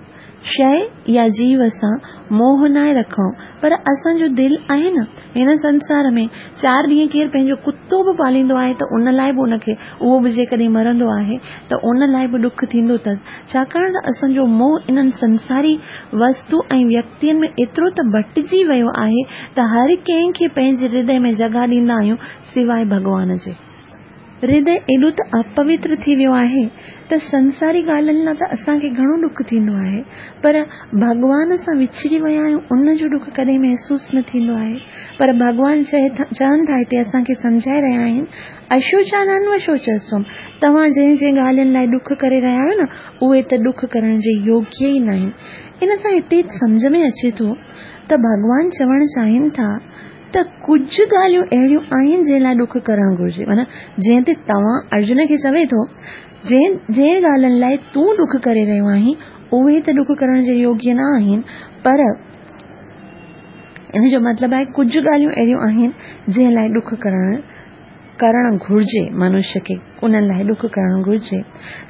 شيءِ يا جيو سان موهه ناهي رکڻو. پر اسان جو دل آهي نه، هن سنسار ۾ چار ڏينهن ڪير پنهنجو ڪتو به پاليندو آهي ته ان لاءِ به ان کي اهو به جيڪڏهن مرندو آهي ته ان لاءِ به ڏک ٿيندو اٿس، ڇاڪاڻ ته اسان جو موهه انهن سنساري وستو ۽ ويڪتين ۾ ايترو ته بٽجي ويو آهي ته هر ڪنهن کي پنهنجي هردي ۾ جڳهه ڏيندا آهيون سواءِ ڀڳوان جي. هردي ايڏو ته اپوتر ٿي ويو آهي ته سنساري ڳالهين لاءِ ته اسان کي گهڻو ڏک ٿيندو آهي، پر ڀڳوان سان وڇڙي ويا آهيون ان جو ڏک ڪڏهن محسوس نه ٿيندو آهي. پر ڀڳوان چئي ٿا چون ٿا هتي اسان کي سمجهائي رهيا آهن اشوچانانوشوچستم، توهان جنهن جنهن ڳالهين لاءِ ڏک ڪري رهيا آهيو نه اهي ته ڏک ڪرڻ جي يوگيه ئي نه آهن. ان سان هتي سمجهه ۾ اچي ٿو ته ڀڳوان چوڻ چاهين ٿا ته ڪجهه ڳالهيون اهڙيون آهن جنهن لاءِ ڏک ڪرڻ گهرجي، معنيٰ جنهن تي توهان ارجن کي چوي ٿو جنهن جنهن ڳالهين لاءِ تون ڏک ڪري رهيو آهين اهي ته ڏک ڪرڻ جي يوگيه نه آهن، پر ان جو مطلب آهي ڪجهه ڳالهيون اهڙيون آهن جنهن لاءِ ڏک ڪرڻ ڪرڻ گهرجي، منشيه کي انهن لاءِ ڏک ڪرڻ گهرجي.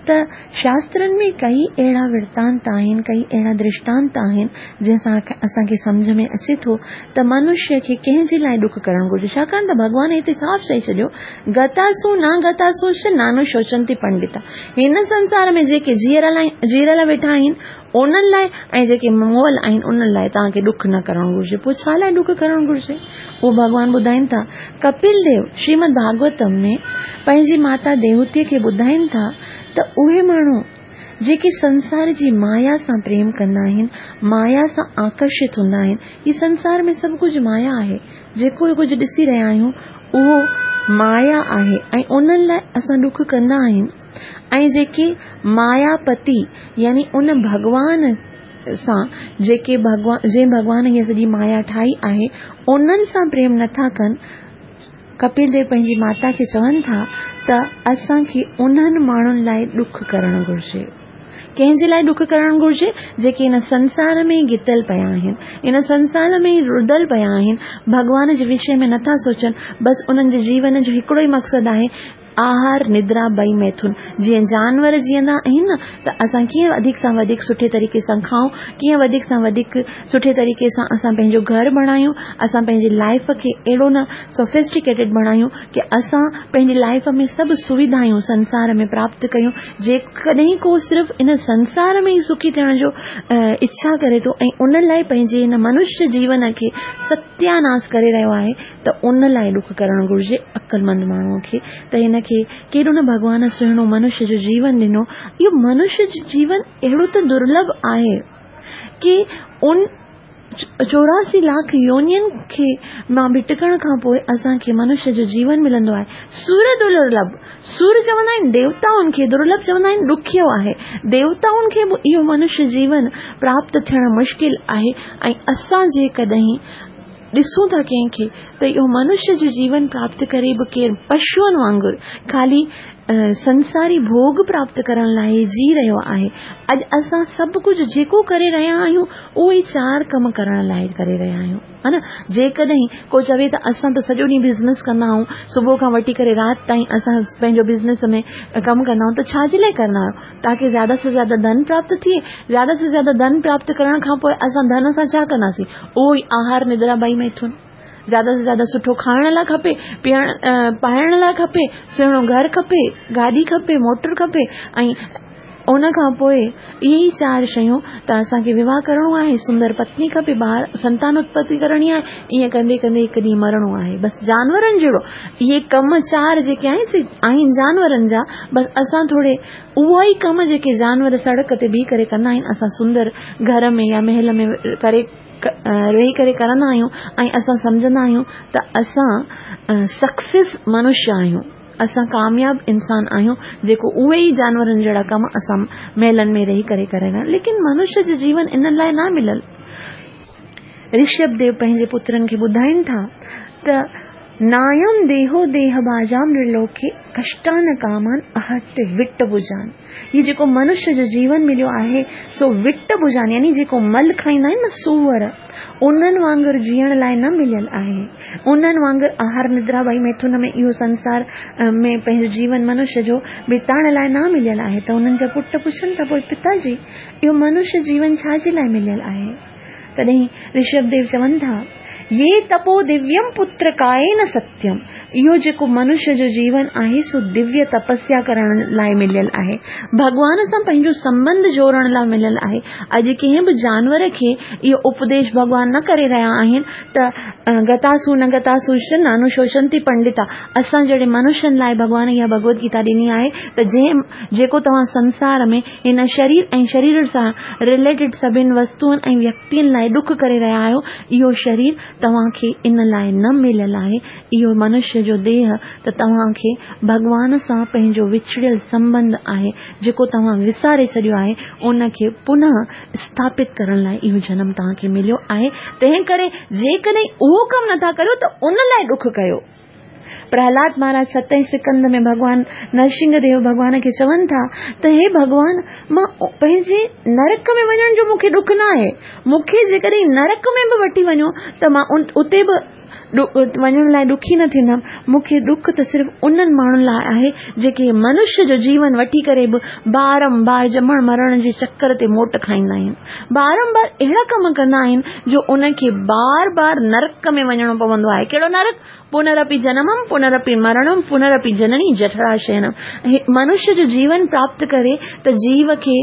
ته شاسترن ۾ ڪئي اهڙا ورتانت آهن، ڪئي اهڙا درشٽانت آهن جنهن سان اسان کي سمجهه ۾ اچي ٿو ته منشيه کي ڪنهن جي لاءِ ڏک ڪرڻ گهرجي، ڇاڪاڻ ته ڀڳوان هتي صاف چئي ڇڏيو گتاسو نه گتاسو نانو شوچنتي پنڊتا. هن سنسار ۾ جيڪي جيئرا جيئرا ويٺا آهن انهن لاءِ ۽ جيڪي مئل آهن انهن لاءِ توهان کي ڏک نه ڪرڻ گهرجي. پوءِ ڇا لاءِ ڏک ڪرڻ گهرجي؟ اهو ڀڳوان ٻڌائين ٿا. ڪپل ديو شريمد ڀاڳوتم ۾ پنهنجي ماتا ديوتيءَ کي ٻڌائين ٿا ته اهي ماڻهو جيڪي سنسار جي مايا سان پريم ڪندا آهن، مايا سان آڪرشت هوندا آهن، هي سنسار ۾ سڀ ڪجهه مايا آهي، جيڪو ڪجهه ڏسي رهيا آهيون اهو مايا آهي ۽ انهن لاءِ اسان ڏک ڪندا آهيون. ۽ جيڪي ماياپتي يعني ان ڀڳوان سان جيڪي ڀڳوان جنهن ڀڳوان هيءَ سڄي مايا ٺاهي آهي انهن سان پريم نٿا ڪن، ڪپل ديو پنهنجي ماتا کي چون ٿا ته اسان کي انهن ماڻهن لاءِ ڏک ڪرڻ گهرجي. ڪنهن جي لاءِ ڏک ڪرڻ گهرجي؟ جيڪي هن سنسار ۾ گتل پيا آهن، هن سنسار ۾ ئي رڌل پيا آهن، ڀڳوان جي وشي ۾ نٿا سوچن، بس انهن جي جيون جو هڪڙو ئي مقصد آهي آهار، ندرا، ٻئي ميٿن. جيئن جانور جيئندا آهن نه ته اسان ڪيئن وڌيڪ سان وڌيڪ سٺي طريقي سان کائون، ڪيئن وڌيڪ سان وڌيڪ سٺي طريقي سان اسان پنهنجو گهر بڻايون، اسان پنهنجي لائيف کي اهڙو نه سوفسٽيڪيٽيڊ بڻايون ڪي اسان پنهنجي لائيف ۾ سڀ سويڌايون سنسار ۾ پراپت ڪيون. جيڪڏهن ڪو صرف ان سنسار ۾ ئي سکي ٿيڻ جو اڇا ڪري ٿو ۽ ان لاء پنهنجي هن منشيه جيون کي ستياناس ڪري رهيو آهي ته ان لاء ڏک ڪرڻ گهرجي عقلمند ماڻهوء کي ته هن کي ڪيڏو نه ڀڳوان سهڻو منشيه جو جيون ڏنو. اهو منشيه جو جيون اهڙو ته درلڀ آهي ڪي ان چوراسي لاک يونين کي مان ڀٽڪڻ کان پوء اسان کي منشيه جو جيون ملندو آهي. سور درلڀ، سور چوندا آهن ديوتائن کي، درلڀ چوندا آهن ڏکيو آهي. ديوتائن کي به اهو منشيه جيون پراپت ٿيڻ مشڪل آهي ۽ اسان جيڪڏهن ڏسون ٿا ڪنهن کي ته اهو منشيه جو جيون پراپت ڪري به ڪير پشوئن وانگر خالي سنساري ڀوڳ پراپت ڪرڻ لاء جي رهيو آهي. اڄ اسان سڀ ڪجهه جيڪو ڪري رهيا آهيون اهو ئي چار ڪم ڪرڻ لاء ڪري رهيا آهيون، ها نه؟ جيڪڏهن ڪو چوي ته اسان ته سڄو ڏينهن بزنس ڪندا آهيون، صبح کان وٺي ڪري رات تائين اسان پنهنجو بزنس ۾ ڪم ڪندا آهيون ته ڇا جي لاء ڪندا آهيو؟ تاڪه زياده سي زياده ڌن پراپت ٿئي. زياده سي زياده ڌن پراپت ڪرڻ کان پوء اسان ڌن سان ڇا ڪنداسين؟ اهو ئي آهار ندرا ٻئي ميٿن. زياده سي زياده سٺو کائڻ لاء کپي، پيئڻ پائڻ لاء کپي، سهڻو گهر کپي، گاڏي کپي، موٽر کپي ۽ ان کان پوء اهي ئي چار شيون ته اسان کي وواهه ڪرڻو آهي، سندر پتني کپي، ٻار سنتان اتپتي ڪرڻي آهي، ائين ڪندي ڪندي هڪ ڏينهن مرڻو آهي. بس جانورن جهڙو اهي ڪم چار جيڪي آهن سي آهن جانورن جا. بس اسان ٿوري اهو ئي ڪم جيڪي جانور سڙڪ تي بيهي ڪري ڪندا آهن اسان سندر گهر ۾ يا محل ۾ ڪري رهي ڪري ڪرندا آهيون ۽ اسان سمجهندا آهيون ته اسان سڪسيس منشيه آهيون، اسان ڪامياب انسان آهيون جيڪو اهي ئي جانورن جهڙا ڪم اسان محلن ۾ رهي ڪري ڪري رهيا آهيون. ليڪن منشيه جو جيون ان لاء نه مليل. رشڀ ديو پنهنجي پترن کي ٻڌائين ٿا ته نايم ديهو ديهه باجام نرلوڪي ڪشٽان ڪامان اهٽ وٽ بجان. هي جيڪو منشيه جو جيون مليو آهي سو وٽ بجان يعني جيڪو مل کائيندا آهن نه سوئر، انهن وانگر جيئڻ لاء نه مليل آهي. انهن وانگر آهار ندرا ٻئي ميٿن ۾ اهو سنسار ۾ پنهنجو جيون منشيه جو بتائڻ لاء نه مليل آهي. ته انهن جا پٽ پڇن ٿا پوء پتا جي اهو منشيه جيون ڇا جي لاء مليل آهي؟ تڏهن رشڀ ديو چون ٿا، يي تپو دويم پتر ڪائين ستيم، اهو جيڪو منشيه جو جيون آهي سو دويه تپسيا ڪرڻ لاء مليل آهي، ڀڳوان سان پنهنجو سنٻنڌ جوڙڻ لاء مليل آهي. اڄ ڪنهن به جانور کي اهو اپديش ڀڳوان نه ڪري رهيا آهن ته گتاسو نه گتاسو ش نانو شوشنتي پنڊتا. اسان جهڙي منشين لاء ڀڳوان اها ڀڳوت گيتا ڏني آهي ته جنهن جيڪو توهان سنسار ۾ هن شرير ۽ شرير سان رليٽيڊ سڀن وستوئن ۽ ويڪتين لاء ڏک ڪري رهيا آهيو، اهو شرير توهان کي ان لاء نه مليل آهي، اهو منشيه جو ديهه ته توهان کي ڀڳوان سان پنهنجو وڇڙيل سنٻنڌ آهي، جيڪو توهان وساري ڇڏيو آهي، ان کي پنهه اسٿاپت ڪرڻ لاء اهو جنم توهان کي مليو آهي، تنهن ڪري جيڪڏهن اهو ڪم نٿا ڪريو ته ان لاء ڏک ڪيو. پرهلاد مهاراج ستين سڪنڌ ۾ ڀڳوان نرسنگهه ديو ڀڳوان کي چون ٿا ته هي ڀڳوان، مان پنهنجي نرڪ ۾ وڃڻ جو مون کي ڏک نه آهي، مون کي جيڪڏهن نرڪ ۾ به وٺي وڃو ته مان اتي به وڃڻ لاء ڏکي نه ٿيندم، مون کي ڏک ته صرف انهن ماڻهن لاء آهي جيڪي منشيه جو جيون وٺي ڪري به بارنبار ڄمڻ مرڻ جي چڪر تي موٽ کائيندا آهن، بارنبار اهڙا ڪم ڪندا آهن جو ان کي بار بار نرڪ ۾ وڃڻو پوندو آهي. ڪهڙو نرڪ؟ پنرپي جنمم پنرپي مرڻم پنرپي جنني جٺراشينم. منشيه جو جيون پراپت ڪري ته جيو کي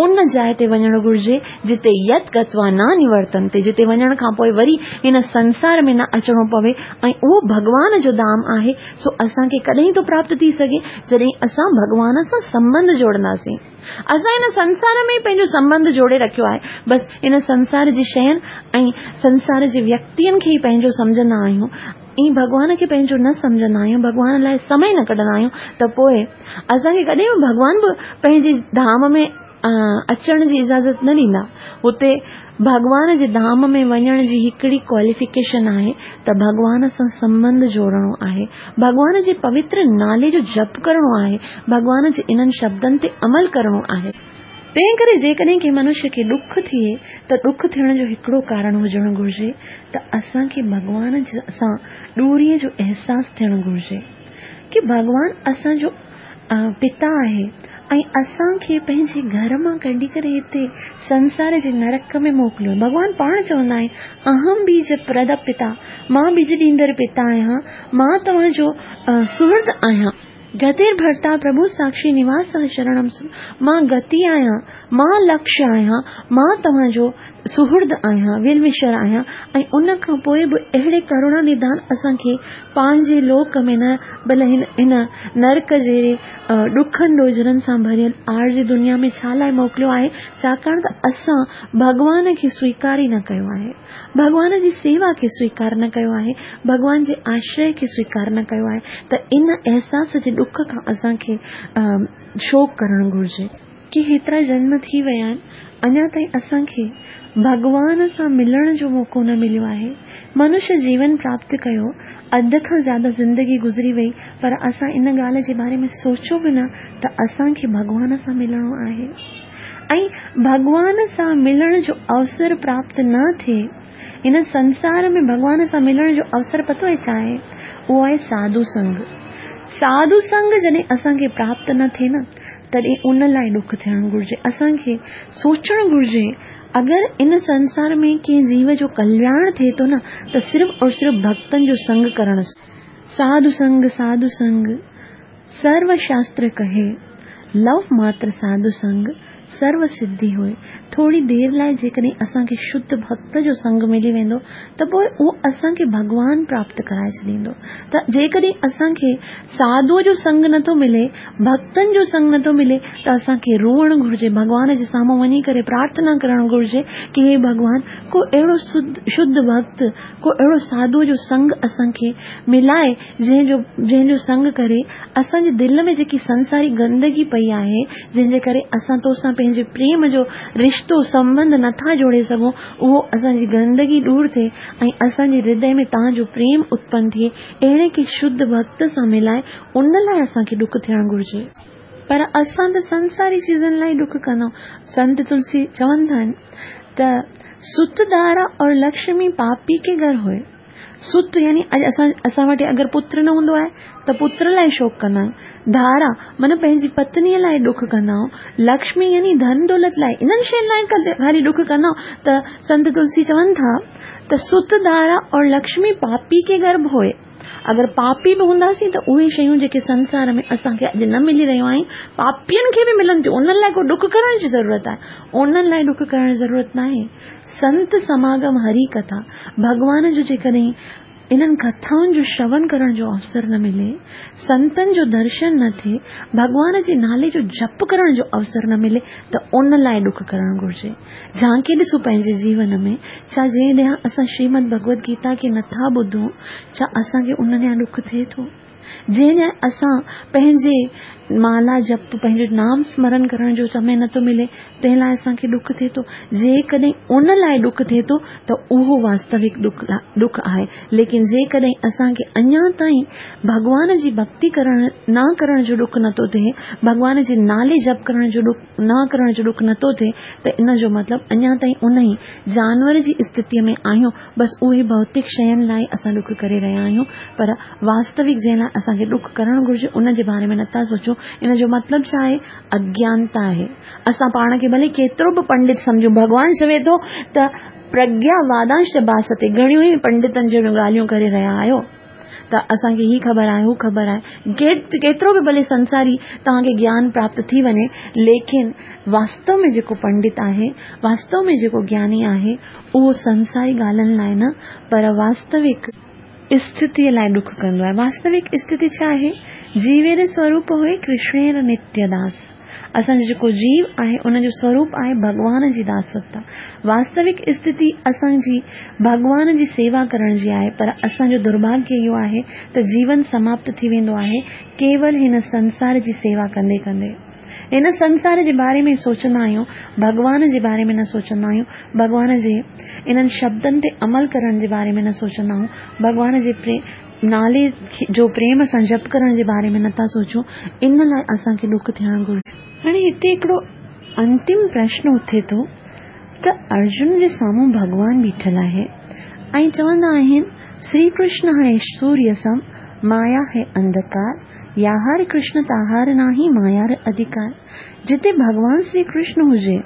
ان جاء تي وڃڻ گهرجي جتي يت گتوا نه نورتنتي، جتي وڃڻ کان پوء وري هن سنسار ۾ نه اچڻو پوي، ۽ اهو ڀڳوان جو ڌام آهي. سو اسان کي ڪڏهن ٿو پراپت ٿي سگهي؟ جڏهن اسان ڀڳوان سان سنٻنڌ جوڙنداسين. اسان هن سنسار ۾ ئي پنهنجو سنٻنڌ جوڙي رکيو آهي، بس هن سنسار جي شين ۽ سنسار جي ويڪتين کي ئي پنهنجو سمجهندا آهيون ۽ ڀڳوان کي پنهنجو نه سمجهندا آهيون، ڀڳوان لاء سمي نه ڪڍندا آهيون ته پوء اسان کي ڪڏهن به ڀڳوان به پنهنجي ڌام ۾ اچڻ جي اجازت نه ڏيندا. هتي ڀڳوان جي ڌام ۾ وڃڻ جي هڪڙي ڪواليفڪيشن آهي ته ڀڳوان سان سنٻنڌ جوڙڻو آهي، ڀڳوان جي پوتر نالي جو جپ ڪرڻو آهي، ڀڳوان جي انهن شبدن تي عمل ڪرڻو آهي. تنهن ڪري جيڪڏهن ڪنهن منشيه کي ڏک ٿئي ته ڏک ٿيڻ جو هڪڙو ڪارڻ هجڻ گهرجي ته اسان کي ڀڳوان سان ڏوريء جو احساس ٿيڻ گهرجي. ڪه ڀڳوان اسان جو پتا آهي ۽ اسان کي پنهنجي گهر مان ڪڍي ڪري هتي سنسار جي نرڪ ۾ موڪليو. ڀڳوان پاڻ چوندا آهن اهم بيج پرد پتا، مان ٻج ڏيندڙ پتا آهيان، مان توهان جو سهرد آهيان. گتير ڀرتا پرڀو ساکشي نواس شرڻم، مان گتي آهيان، مان لڪشيه آهيان، مان توهان جو سهرد آهيان، ويل وشر آهيان. ۽ ان کان پوءِ به اهڙي ڪروڻا نڌان اسان کي پنهنجي لوڪ ۾ نه ڀلي هن هن نرڪ جهڙي ڏکن ڏوجهرن سان ڀريل آر جي دنيا ۾ ڇا لاءِ موڪليو آهي؟ ڇاڪاڻ ته اسان ڀڳوان کي سويڪار ئي نه ڪيو آهي، ڀڳوان جي سيوا کي سويڪار نه ڪيو آهي، ڀڳوان جي آشري کي سويڪار نه ڪيو آهي. ته ان احساس جي ڏک کان اسان کي شوڪ ڪرڻ گهرجي ڪه هيترا جنم ٿي ويا آهن، اڃا تائين اسان کي ڀڳوان سان ملڻ جو موقعو نه مليو آهي. منشيه جيون پراپت ڪيو، اڌ کان زياده زندگي گذري وئي، پر اسان ان ڳالهه جي باري ۾ سوچيو به نه ته اسان کي ڀڳوان سان ملڻو آهي. ۽ ڀڳوان سان ملڻ جو اوسر پراپت نه ٿئي، هن سنسار ۾ ڀڳوان سان ملڻ جو اوسر پتو آهي ڇا آهي؟ اهو آهي ساڌو سنگ. ساڌو سنگ جڏهن اسان کي پراپت نه ٿئي نه، تڏهن ان لاءِ ڏک ٿيڻ گهرجي. اسان کي سوچڻ گهرجي اگر ان سنسار ۾ ڪنهن جيو جو ڪلياڻ ٿئي ٿو نه، ته صرف اور صرف ڀڪتن جو سنگ ڪرڻ سان. ساڌو سنگ ساڌو سنگ سرو شاستر ڪهي، لو ماتر ساڌو سنگ سرو سڌي هئي. ٿوري دير لاءِ جيڪڏهن اسان کي شڌ ڀڪت جو سنگ ملي ويندو ته پوءِ اهو اسان کي ڀڳوان پراپت ڪرائي ڇڏيندو. ته جيڪڏهن اسان کي ساڌوءَ جو سنگ نٿو ملي، ڀڪتن جو سنگ نٿو ملي، ته اسان کي روئڻ گهرجي، ڀڳوان جي سامهون وڃي ڪري پرارٿنا ڪرڻ گهرجي ڪه هي ڀڳوان، ڪو اهڙو شڌ ڀڪت، ڪو اهڙو ساڌوءَ جو سنگ اسان کي ملائي، جنهن جو جنهن جو سنگ ڪري اسان جي دل ۾ جيڪي سنساري گندگي پئي آهي، جنهن جي ڪري اسان تو سان پنهنجي پريم جو رشتو سنٻنڌ نٿا جوڙي سگهون، اهو اسان جي گندگي دور ٿئي ۽ اسان جي هردي ۾ توهان جو پريم اتپن ٿئي. اهڙي ڪي شڌ ڀڪت سان ملائي، ان لاءِ اسان کي ڏک ٿيڻ گهرجي. پر اسان ته سنساري چيزن لاءِ ڏک ڪندا. سنت تلسي چوندا آهن ته ست دارا اور لڪشمي پاپي ڪي گهر هئي. ست يعني اڄ اسان اسان وٽ اگر پتر نه هوندو آهي ته پتر لاءِ شوڪ ڪندا آهيون، ڌارا معنيٰ پنهنجي پتنيءَ لاءِ ڏک ڪندا آهيون، لڪشمي يعني ڌن دولت لاءِ، انهن شين لاءِ خالي ڏک ڪندا آهيون. ته سنت تلسي چون ٿا ته ست دارا اور لڪشمي پاپي ڪي گرڀ هئي. اگر پاپي به هونداسين ته اهي شيون جيڪي سنسار ۾ اسان کي اڄ نه ملي رهيون آهن، پاپين کي به ملن ٿيون، انهن لاءِ ڪو ڏک ڪرڻ جي ضرورت آهي؟ انهن لاءِ ڏک ڪرڻ جي ضرورت نه آهي. سنت سماگم، هري ڪٿا، ڀڳوان جو جيڪڏهن انهن ڪٿائن جو شرون ڪرڻ جو اوسر نه ملي، سنتن جو درشن نه ٿئي، ڀڳوان جي نالي جو جپ ڪرڻ جو اوسر نه ملي، ته ان لاءِ ڏک ڪرڻ گهرجي. جهانڪي ڏسو پنهنجي جيون ۾، ڇا جنهن ڏينهن اسان شريمد ڀڳوت گيتا کي نٿا ٻڌون، ڇا اسان کي ان ڏينهن ڏک ٿئي ٿو؟ جنهن ڏينهن اسان پنهنجي مالا جپ، پنهنجو نام سمرن ڪرڻ جو سمي نٿو ملي، تنهن لاءِ اسان کي ڏک ٿئي ٿو؟ جيڪڏهن ان لاءِ ڏک ٿئي ٿو ته اهو واستوڪ ڏک ڏک آهي. ليڪن جيڪڏهن اسان کي اڃا تائين ڀڳوان جي ڀڪتي ڪرڻ نه ڪرڻ جو ڏک نٿو ٿئي، ڀڳوان جي نالي جپ ڪرڻ جو ڏک نه ڪرڻ جو ڏک نٿو ٿئي، ته ان جو مطلب اڃا تائين ان ئي جانور جي اسٿتيءَ ۾ آهيون. بس اهي ڀوتڪ شين لاءِ اسان ڏک ڪري رهيا آهيون، پر واستوڪ جنهن لاءِ اسان کي ڏک ڪرڻ گهرجي ان جي باري ۾ نٿا سوچون. ان جو مطلب ڇا آهي؟ اگيانتا آهي. اسان پاڻ کي ڀلي ڪيترو به پنڊت سمجهون، ڀڳوان چوي ٿو ته پرگيا وادانش باستي، گهڻيون ئي پنڊتن جهڙيون ڳالهيون ڪري رهيا آهيو ته اسان کي هي خبر آهي، هو خبر آهي. ڪيترو به ڀلي سنساري توهان کي گيان پراپت ٿي وڃي، ليڪن واستو ۾ جيڪو پنڊت آهي، واستو ۾ جيڪو گياني آهي، اهو سنساري ڳالهين لاءِ نه پر واستوڪ اسٿتيءَ لاءِ ڏک ڪندو آهي. واستوڪ اسٿتي ڇا آهي؟ جيوير سوروپ هئي ڪرشنير نتيه داس. اسان جو جيڪو جيو آهي ان جو سوروپ آهي ڀڳوان جي داستا. واستوڪ اسٿتي اسان جي ڀڳوان جي سيوا ڪرڻ جي آهي، پر اسان جو درڀاگيه اهو آهي ته جيون سماپت ٿي ويندو آهي ڪيول هن سنسار جي سيوا ڪندي ڪندي. هن سنسار جي باري ۾ سوچندا آهيون، ڀڳوان جي باري ۾ نه سوچندا آهيون، ڀڳوان جي انهن شبدن تي عمل ڪرڻ جي باري ۾ نه سوچندا آهيون، ڀڳوان جي نالي جو پريم سان جپ ڪرڻ جي باري ۾ نٿا سوچون. ان لاءِ اسان کي ڏک ٿيڻ گهرجي. هاڻي هتي هڪڙو انتم پرشن اٿي ٿو ته ارجن جي سامهون ڀڳوان بيٺل آهي ۽ چوندا آهن شري ڪرشن آهي سوريه سم، مايا هي انڌڪار، ياهار ڪرشن تاهار ناهي مايار اڌڪار. جتي ڀڳوان شري ڪرشن هجي،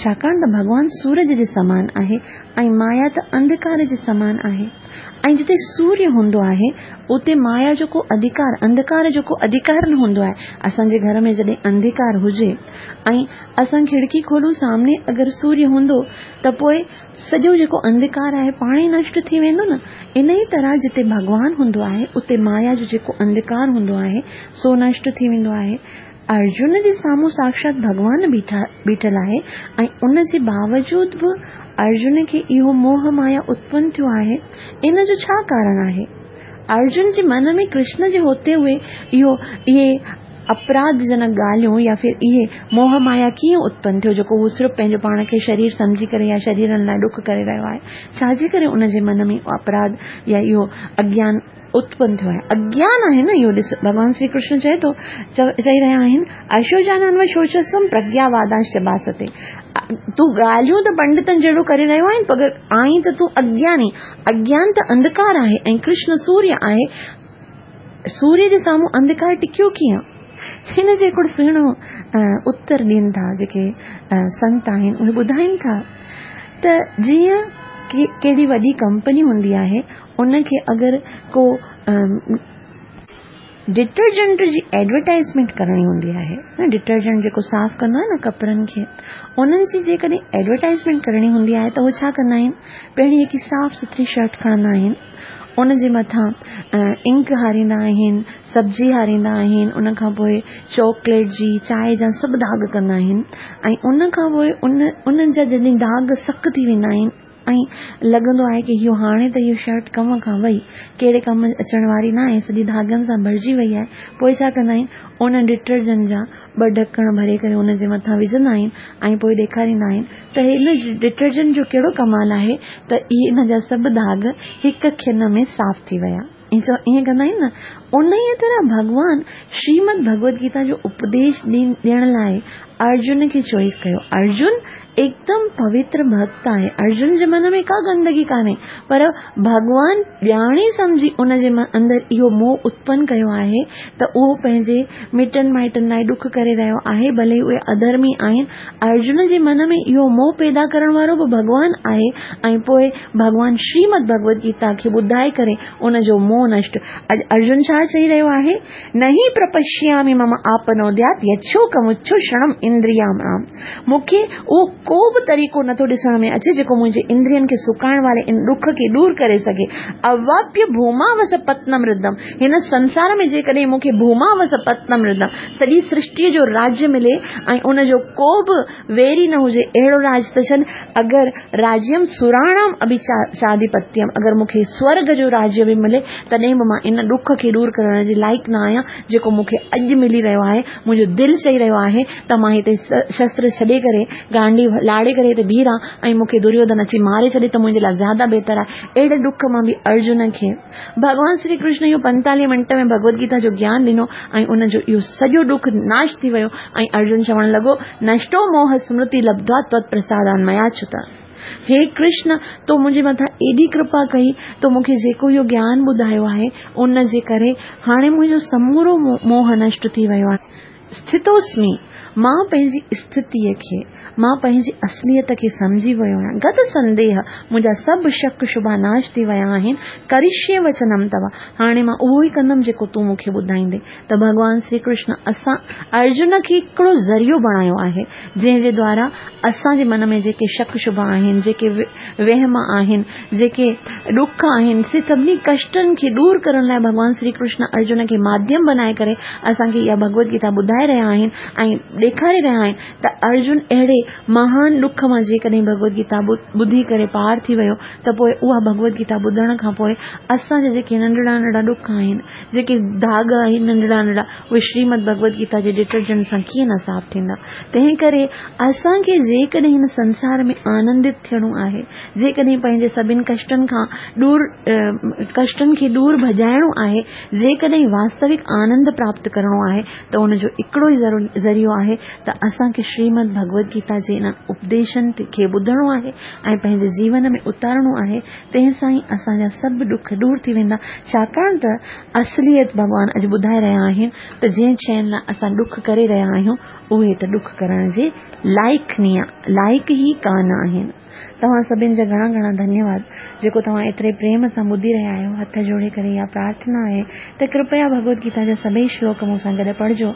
ڇاڪاڻ ته ڀڳوان سورج جي سمان آهي ۽ مايا ته انڌڪار جي سمان آهي، ۽ جتي سوريه هوندو آهي اتي مايا جو ڪو اڌڪار، انڌڪار جو ڪو اڌڪار نه هوندو آهي. اسان جي گهر ۾ جڏهن انڌڪار هجي ۽ اسان کڙڪي کولون، سامني اگر سوريه هوندو ته پوء سڄو جيڪو انڌڪار آهي پاڻ ئي نشٽ ٿي ويندو نه. ان ئي طرح جتي ڀڳوان هوندو آهي اتي مايا جو جيڪو انڌڪار هوندو آهي سو نشٽ ٿي ويندو آهي. ارجن جي سامهون ساڪشات ڀڳوان بيٺا بيٺل آهي ۽ ان جي باوجود به ارجن کي اهو موهه مايا اتپن ٿيو آهي، ان جو ڇا ڪارڻ آهي؟ ارجن جي من ۾ ڪرشن جي هوتي هوئي اهو اهي اپراڌ جنڪ ڳالهيون يا ڦر اهي موهه مايا ڪيئن اتپن ٿيو، جيڪو هو صرف پنهنجو پاڻ کي شرير سمجهي ڪري يا شريرن لاءِ ڏک ڪري رهيو آهي؟ ڇا جي ڪري ان جي من ۾ اپراڌ يا اهو اگيان اتپن ٿيو آهي؟ اگيان آهي نه اهو. ڏس، ڀڳوان شري ڪرشن چئي ٿو، چئي رهيا آهن، اشوجانانوشوچسوم پرگياوادانش باستي. تون ڳالهيون ته پنڊتن جهڙو ڪري رهيو آهين، پر آهين ته تون اگياني. اگيان ته انڌڪار آهي ۽ ڪرشن سوريه آهي. سوريه جي سامهون انڌڪار ٽڪيو ڪيئن؟ هن جو هڪڙو سهڻو اتر ڏين ٿا جيڪي سنت آهن، اهي ٻڌائين ٿا ته جيئن ڪهڙي وڏي ڪمپني هوندي آهي، ان کي اگر ڪو ڊٽرجنٽ جي ايڊورٽائزمينٽ ڪرڻي هوندي آهي، ڊٽرجنٽ جيڪو صاف ڪندو آهي نه ڪپڙن کي، انهن جي جيڪڏهن ايڊورٽائزمينٽ ڪرڻي هوندي آهي ته اهي ڇا ڪندا آهن؟ پهرين هڪ صاف سٿري شرٽ کڻندا آهن، ان جي مٿان انڪ هاريندا آهن، سبزي هاريندا آهن، ان کان پوءِ چاڪليٽ جي، چانهه جا سڀ داغ ڪندا آهن، ۽ ان کان پوءِ ان انهن جا جڏهن داغ سخت ٿي ويندا آهن ۽ لڳندو آهي ڪه اهو هاڻي ته اهو شرٽ ڪم کان وئي، ڪهڙي ڪم اچڻ واري نه آهي، سڄي ڌاڳن سان ڀرجي وئي آهي، پوءِ ڇا ڪندا آهن؟ ان ڊٽرجنٽ جا ٻه ڍڪڻ ڀري ڪري ان جي مٿان وجهندا آهن ۽ پوءِ ڏيکاريندا آهن ته هن ڊٽرجنٽ جو ڪهڙو ڪمال آهي ته اهي ان جا سڀ داغ هڪ کن ۾ صاف ٿي ويا. ائين ڪندا آهن نه. ان ئي طرح ڀڳوان شريمد ڀڳوت گيتا جو اپديش ڏيڻ لاءِ ارجن کي چوائس ڪيو. ارجن هڪدم پوتر ڀڪت آهي، ارجن جي من ۾ ڪا گندگي ڪانهي، پر ڀڳوان ڄاڻي سمجهي ان جي اندر اهو موهه اتپن ڪيو آهي ته اهو پنهنجي مٽن مائٽن لاءِ ڏک ڪري رهيو آهي، ڀلي اهي اڌرمي آهن. ارجن جي من ۾ اهو موهه پيدا ڪرڻ وارو به ڀڳوان آهي، ۽ پوءِ ڀڳوان شريمد ڀڳوت گيتا کي ٻڌائي ڪري ان جو موهه نشٽ. اڄ ارجن ڇا چئي رهيو آهي؟ نهي پرپشيامي مم آپنوديات يڇوڪمڇو شرڻم اندريام رام. مون کي اهو ڪو به طريقو نٿو ڏسڻ ۾ اچي جيڪو منهنجي اندرين کي سڪائڻ واري ان ڏک کي دور ڪري سگهي. اواپيه ڀوماوس پتنم ردم. هن سنسار ۾ جيڪڏهن مون کي ڀوماوس پتنم ردم، سڄي سرشٽيءَ جو راجيه ملي ۽ ان جو ڪو به ويري نه هجي، اهڙو راج ته ڇڏ، اگر راجيم سراڻام اڀي چاديپتيم، اگر مون کي سورگ جو راجيه به ملي تڏهن به مان ان ڏک کي دور ڪرڻ جي لائق نه آهيان جيڪو مون کي اڄ ملي رهيو آهي. منهنجو دل چئي رهيو آهي ته مان هتي شستر ڇڏي ڪري، گانڊي لاڙي ڪري هتي بيهه رهان ۽ مون کي دريوڌن اچي ماري ڇڏي ته منهنجي لاءِ زياده بهتر آهي. اهڙي ڏک مان به ارجن کي ڀڳوان شري ڪرشن اهو پنتاليهه منٽ ۾ ڀڳوت گيتا جو گيان ڏنو ۽ ان جو اهو سڄو ڏک ناش ٿي ويو. ۽ ارجن چوڻ لڳو، نشٽو موهه سمرتي لبڌوا تت پرسادان ميا ڇت. هي ڪرشن، تو منهنجي مٿان ايڏي ڪرپا ڪئي، تو مون کي جيڪو اهو گيان ٻڌايو آهي ان جي ڪري هاڻي منهنجو سمورو موهه نشٽ ٿي ويو آهي. اسٿتوسمي، مان پنهنجي اسٿتيءَ کي، مان پنهنجي اصليت کي سمجهي ويو آهيان. گت سنديهه، منهنجا سڀ شڪ شبا ناش ٿي ويا آهن. ڪرشيه وچنم توا، هاڻي مان اهو ئي ڪندم جيڪو تون مون کي ٻڌائيندي. ته ڀڳوان شري ڪرشن اسان ارجن کي هڪڙو ذريعو بڻايو آهي جنهن جي دوارا اسان جي من ۾ جيڪي شڪ شبا آهن، جيڪي وهم آهن، جيڪي ڏک آهن، سي سڀني ڪشٽن کي دور ڪرڻ لاءِ ڀڳوان شري ڪرشن ارجن کي ماڌيم بنائي ڪري اسان کي اها ڀڳوت گيتا ٻڌائي رهيا آهن ۽ ڏيکاري رهيا آهن ته ارجن اهڙي مهان ڏک مان جيڪڏهن ڀڳوت گيتا ٻڌي ڪري پار ٿي ويو ته پوءِ اها ڀڳوت گيتا ٻڌڻ کان پوءِ اسان جا جيڪي ننڍڙا ننڍڙا ڏک آهن، جيڪي داغ آهن ننڍڙا ننڍڙا، اهي شريمد ڀڳوت گيتا جي ڊٽرجنٽ سان ڪيئن نه صاف ٿيندا. تنهن ڪري اسان کي جيڪڏهن هن سنسار ۾ آنندت ٿيڻو آهي، جيڪڏهن پنهنجي سڀني ڪشٽن کان دور، ڪشٽن کي دور ڀڄائڻو آهي، جيڪڏهن واستوڪ آنند پراپت ڪرڻو آهي ته ان جو هڪڙو ئي ذريعو آهي آهي ته اسان کي شريمد ڀڳوت گيتا جي انهن اپديشن کي ٻڌڻو آهي ۽ پنهنجي جيون ۾ اتارڻو آهي، تنهن سان ئي اسان جا سڀ ڏک ڏور ٿي ويندا. ڇاڪاڻ ته اصليت ڀڳوان اڄ ٻڌائي رهيا آهن ته جنهن شين لاء اسان ڏک ڪري رهيا آهيون، اهي ته ڏک ڪرڻ جي لائق لائق ئي ڪانه آهن. توهان سڀن جا گهڻا گهڻا ڌنيواد جيڪو توهان ايتري پريم سان ٻڌي رهيا آهيو. هٿ جوڙي ڪري اها پرارٿنا آهي ته ڪرپيا ڀڳوت گيتا جا سڀئي شلوڪ مون سان گڏ پڙهجو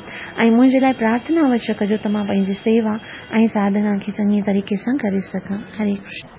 ۽ منهنجي لاء پرارٿنا اوشيه ڪجو ته مان پنهنجي سيوا ۽ ساڌنا کي چڱي طريقي سان ڪري سگهان. هري ڪرشن.